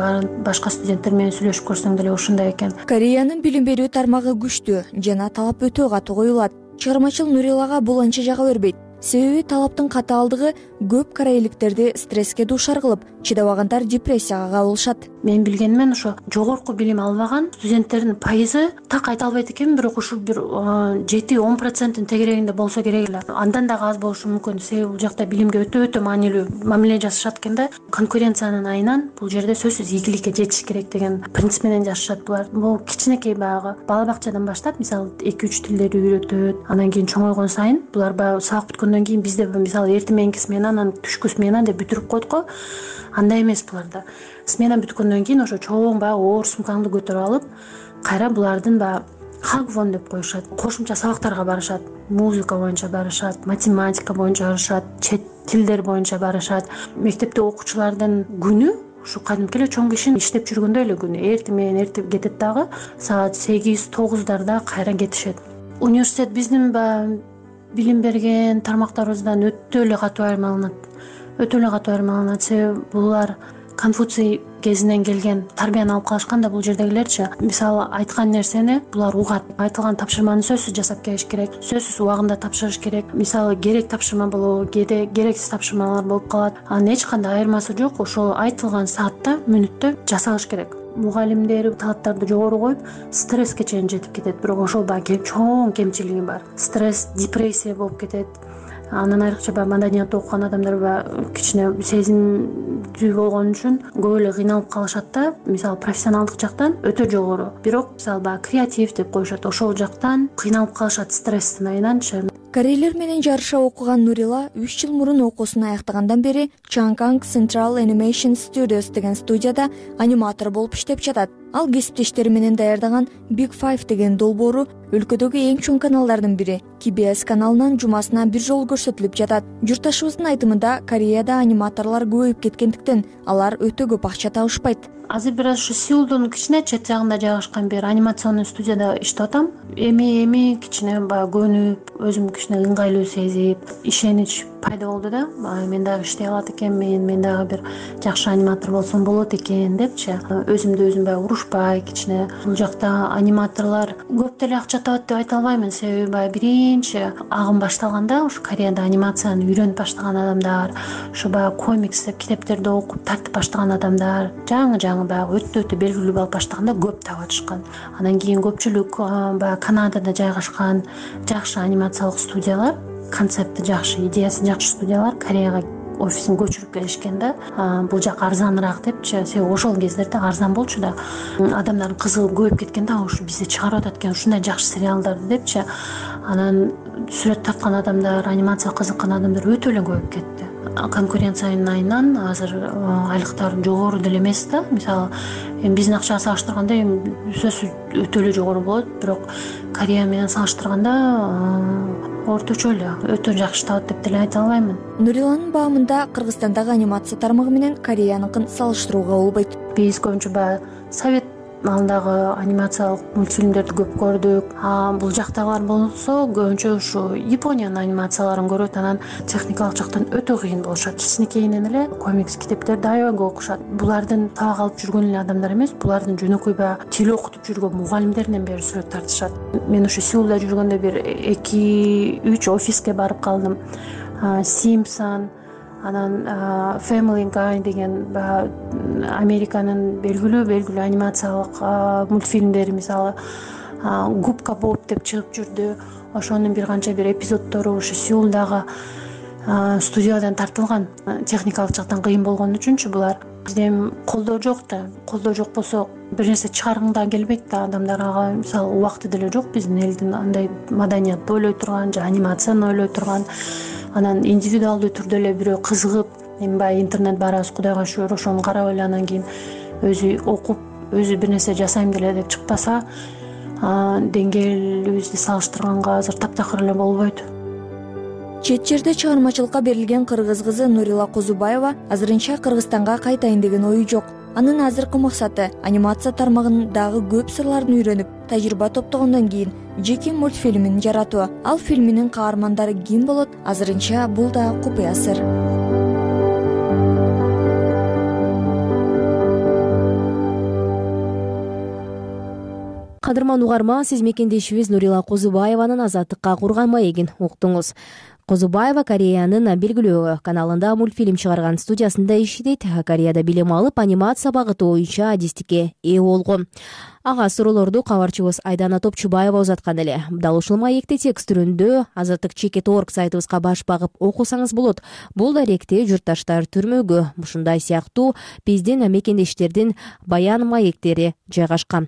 Башка студенттер менен сүйлөшүп көрсөң деле ушундай экен. Кореянын билим берүү тармагы күчтүү жана талап өтө катуу коюлат. Чыгармачыл Нурилага бул анча жага бербейт. Себеби талаптын катаалдыгы көп корейликтерди стресске дуушар кылып, чыдабагандар депрессияга кабылышат. Мен билгенимен ошо жогорку билим албаган студенттердин пайызы так айта албайт экен, бирок ушул бир 7-10% тегерегинде болсо керек эле. Андан дагы аз болушу мүмкүн. Себеби бул жакта билимге өтө маанилүү мамиле жасашат экен да. Конкуренциянын айынан бул жерде сөзсүз ийгиликке жетиш керек деген принцип менен жашашат булар. Бул кичинекей баягы бала бакчадан баштап, мисалы 2-3 тилдерди үйрөтөт. Анан кийин чоңойгон сайын булар баягы сабак бүткөндөн кийин бизде мисалы эртең мененки смена, анан түшкү смена деп бүтүрүп коет го. Андай эмес буларда. Смена бүткөндөн кийин ошо чоң баягы оор сумкаңды көтөрүп алып, кайра булардын баягы хагвон деп коюшат. Кошумча сабактарга барышат. Музыка боюнча барышат, математика боюнча барышат, чет тилдер боюнча барышат. Мектепте окуучулардын күнү ушу кадимки эле чоң кишинин иштеп жүргөндөй эле күнү. Эртең менен эртеп кетет дагы, саат 8-9 кайра кетишет. Университет биздин баягы билим берген тармактарыбыздан өтө эле катуу айырмаланат. Себеби булар Конфуций кезинен келген тарбияны алып калышкан да, бул жердегилерчи. Мисалы айткан нерсени булар угат. Айтылган тапшырманы сөзсүз жасап келиш керек, сөзсүз убагында тапшырыш керек. Мисалы керек тапшырма болобу, кээде керексиз тапшырмалар болуп калат. Анын эч кандай айырмасы жок. Ошол айтылган саатта, мүнөттө жасалыш керек. Мугалимдер талаптарды жогору коюп, стресске чейин жетип кетет. Бирок ошол баягы чоң кемчилиги бар. Стресс, депрессия болуп кетет. Анан айрыкча баягы маданиятты окуган адамдар кичине сезимдүү болгон үчүн көп эле кыйналып калышат да. Мисалы профессионалдык жактан өтө жогору, бирок мисалы баягы креатив деп коюшат. Ошол жактан кыйналып калышат стресстин айынан. Корейлер менен жарыша окуган Нурила 3 жыл мурун окуусун аяктагандан бери Chang'an Central Animation Studios деген студияда аниматор болуп иштеп жатат. Ал кесиптештери менен даярдаган Big Five деген долбоору өлкөдөгү эң чоң каналдардын бири KBS каналынан жумасына 1 жолу көрсөтүлүп жатат. Журтташыбыздын айтымында, Кореяда аниматорлор көбөйүп кеткендиктен алар өтө көп акча табышпайт. Азыр бир ушу Сеулдун кичине чет жагында жайгашкан бир анимационный студияда иштеп атам. Эми кичине баягы көнүп, өзүм кичине ыңгайлуу сезип, ишенич пайда болду да. Мен дагы иштей алат экенмин, мен дагы бир жакшы аниматор болсом болот экен депчи. Өзүмдү өзүм баягы урушпай, кичине бул жакта аниматорлор көп деле акча табат деп айта албаймын. Себеби баягы биринчи агым башталганда ушу Кореяда анимацияны үйрөнүп баштаган адамдар, ушу баягы комикс деп китептерди окуп тартып баштаган адамдар, жаңы баягы өтө белгилүү болуп баштаганда көп табышкан. Анан кийин көпчүлүк баягы Канадада жайгашкан жакшы анимациялык студиялар, концепти жакшы, идеясы жакшы студиялар Кореяга офисин көчүрүп келишкен да. Бул жак арзаныраак депчи. Себеби ошол кездерде арзан болчу да. Адамдардын кызыгып көбөйүп кеткен да, ушу бизде чыгарып атат экен ушундай жакшы сериалдарды депчи. Анан сүрөт тарткан адамдар, анимация кызыккан адамдар өтө эле көбөйүп кетти. Конкуренциянын айынан азыр айлыктар жогору деле эмес да. Мисалы, биздин акчага салыштырганда сөзсүз өтө эле жогору болот, бирок Корея менен салыштырганда орточо эле, өтө жакшы табат деп деле айта албаймын. Нуриланын баамында Кыргызстандагы анимация тармагы менен Кореяныкын салыштырууга болбойт. Биз көбүнчө баягы совет малдагы анимациялык мультфильмдерди көп көрдүк. Бул жактагылар болсо көбүнчө ушу Япониянын анимацияларын көрөт. Анан техникалык жактан өтө кыйын болушат. Кичинекейинен эле комикс китептерди аябай көп окушат. Булардын сабак алып жүргөн эле адамдар эмес, булардын жөнөкөй баягы тил окутуп жүргөн мугалимдеринен бери сүрөт тартышат. Мен ушу Сеулда жүргөндө бир 2-3 офиске барып калдым. Simpson, анан Family Guy деген Американын белгилүү анимациялык мультфильмдери, мисалы Губка Боб деп чыгып жүрдү. Ошонун бир канча бир эпизоддору ушу Сеулдагы студиядан тартылган, техникалык жактан кыйын болгон үчүнчү булар. Бизде эми колдоо жок да. Колдоо жок болсо бир нерсе чыгаргың да келбейт да, адамдар ага мисалы убакыты деле жок биздин элдин андай маданиятты ойлой турган же анимацияны ойлой турган, анан индивидуалдуу түрдө эле бирөө кызыгып, эми баягы интернет барабыз, Кудайга шүгүр, ошону карап эле анан кийин өзү окуп, өзү бир нерсе жасайм деле деп чыкпаса, деңгээлибизди салыштырганга азыр таптакыр эле болбойт. Чет жерде чыгармачылыкка берилген кыргыз кызы Нурила Козубаева азырынча Кыргызстанга кайтайын деген ою жок. Анын азыркы максаты анимация тармагындагы көп сырларын үйрөнүп, тажрыйба топтогондон кийин жеке мультфильмин жаратуу. Ал фильминин каармандары ким болот? Азырынча бул да купуя сыр. Кадырман угарман, сиз мекендешибиз Нурила Козубаеванын Азаттыкка курган маегин уктуңуз. Козубаева Кореянын белгилүү каналында мультфильм чыгарган студиясында иштейт. Кореяда билим алып, анимация багыты боюнча адистикке ээ болгон. Ага суроолорду кабарчыбыз Айдана Топчубаева узаткан эле. Дал ушул маекти текст түрүндө Азаттык.org сайтыбызга баш багып окусаңыз болот. Бул даректе журтташтар түрмөгү, ушундай сыяктуу биздин мекендештердин баян маектери жайгашкан.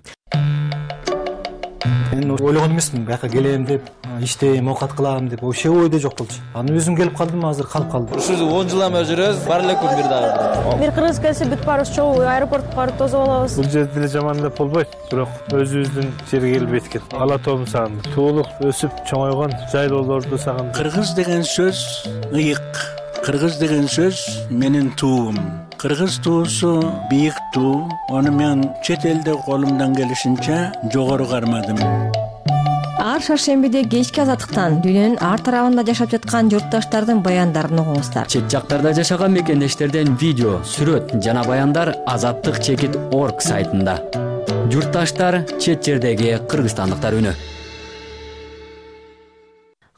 Мен ойлогон эмесмин, бияка келем деп, иштейм, оокат кылам деп, вообще ойдо жок болчу. Анан өзүм келип калдым, азыр калып калдым. Ушул 10 жыл эме жүрөбүз, бар эле күн бир дагы. Бир кыргыз келсе бүт баарыбыз чогуу аэропортко барып тосуп алабыз. Бул жерде деле жаман деп болбойт, бирок өзүбүздүн жерге келбейт экен. Ала тоом сагындым. Туулуп, өсүп, чоңойгон жайлоолорду сагындым. Кыргыз деген сөз ыйык. Кыргыз деген сөз менин туум. Кыргыз туусу бийик туу. Аны мен чет элде колумдан келишинче жогору кармадым. Ар шаршембиде кечки Азаттыктан дүйнөнүн ар тарабында жашап жаткан журтташтардын баяндарын угуңуздар. Чет жактарда жашаган мекендештерден видео, сүрөт жана баяндар Азаттык.org сайтында. Журтташтар, чет жердеги кыргызстандыктар үнү.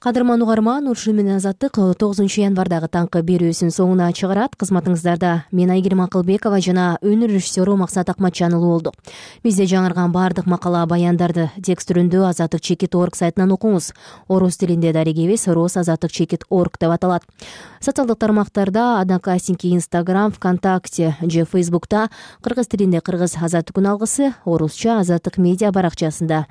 Кадырман угарман, ушуну менен Азаттык 9 январдагы таңкы берүүсүн соңуна чыгарат. Кызматыңыздарда мен Айгерим Акылбекова жана өнөр режиссеру Максат Акматжанұлы болду. Бизде жаңырган баардык макала, баяндарды текст түрүндө Азаттык.org сайтынан окуңуз. Орус тилинде дарегибиз Азаттык.org деп аталат. Социалдык тармактарда Одноклассники, Instagram, ВКонтакте же Фейсбукта кыргыз тилинде Кыргыз Азаттык күн алгысы, орусча Азаттык медиа баракчасында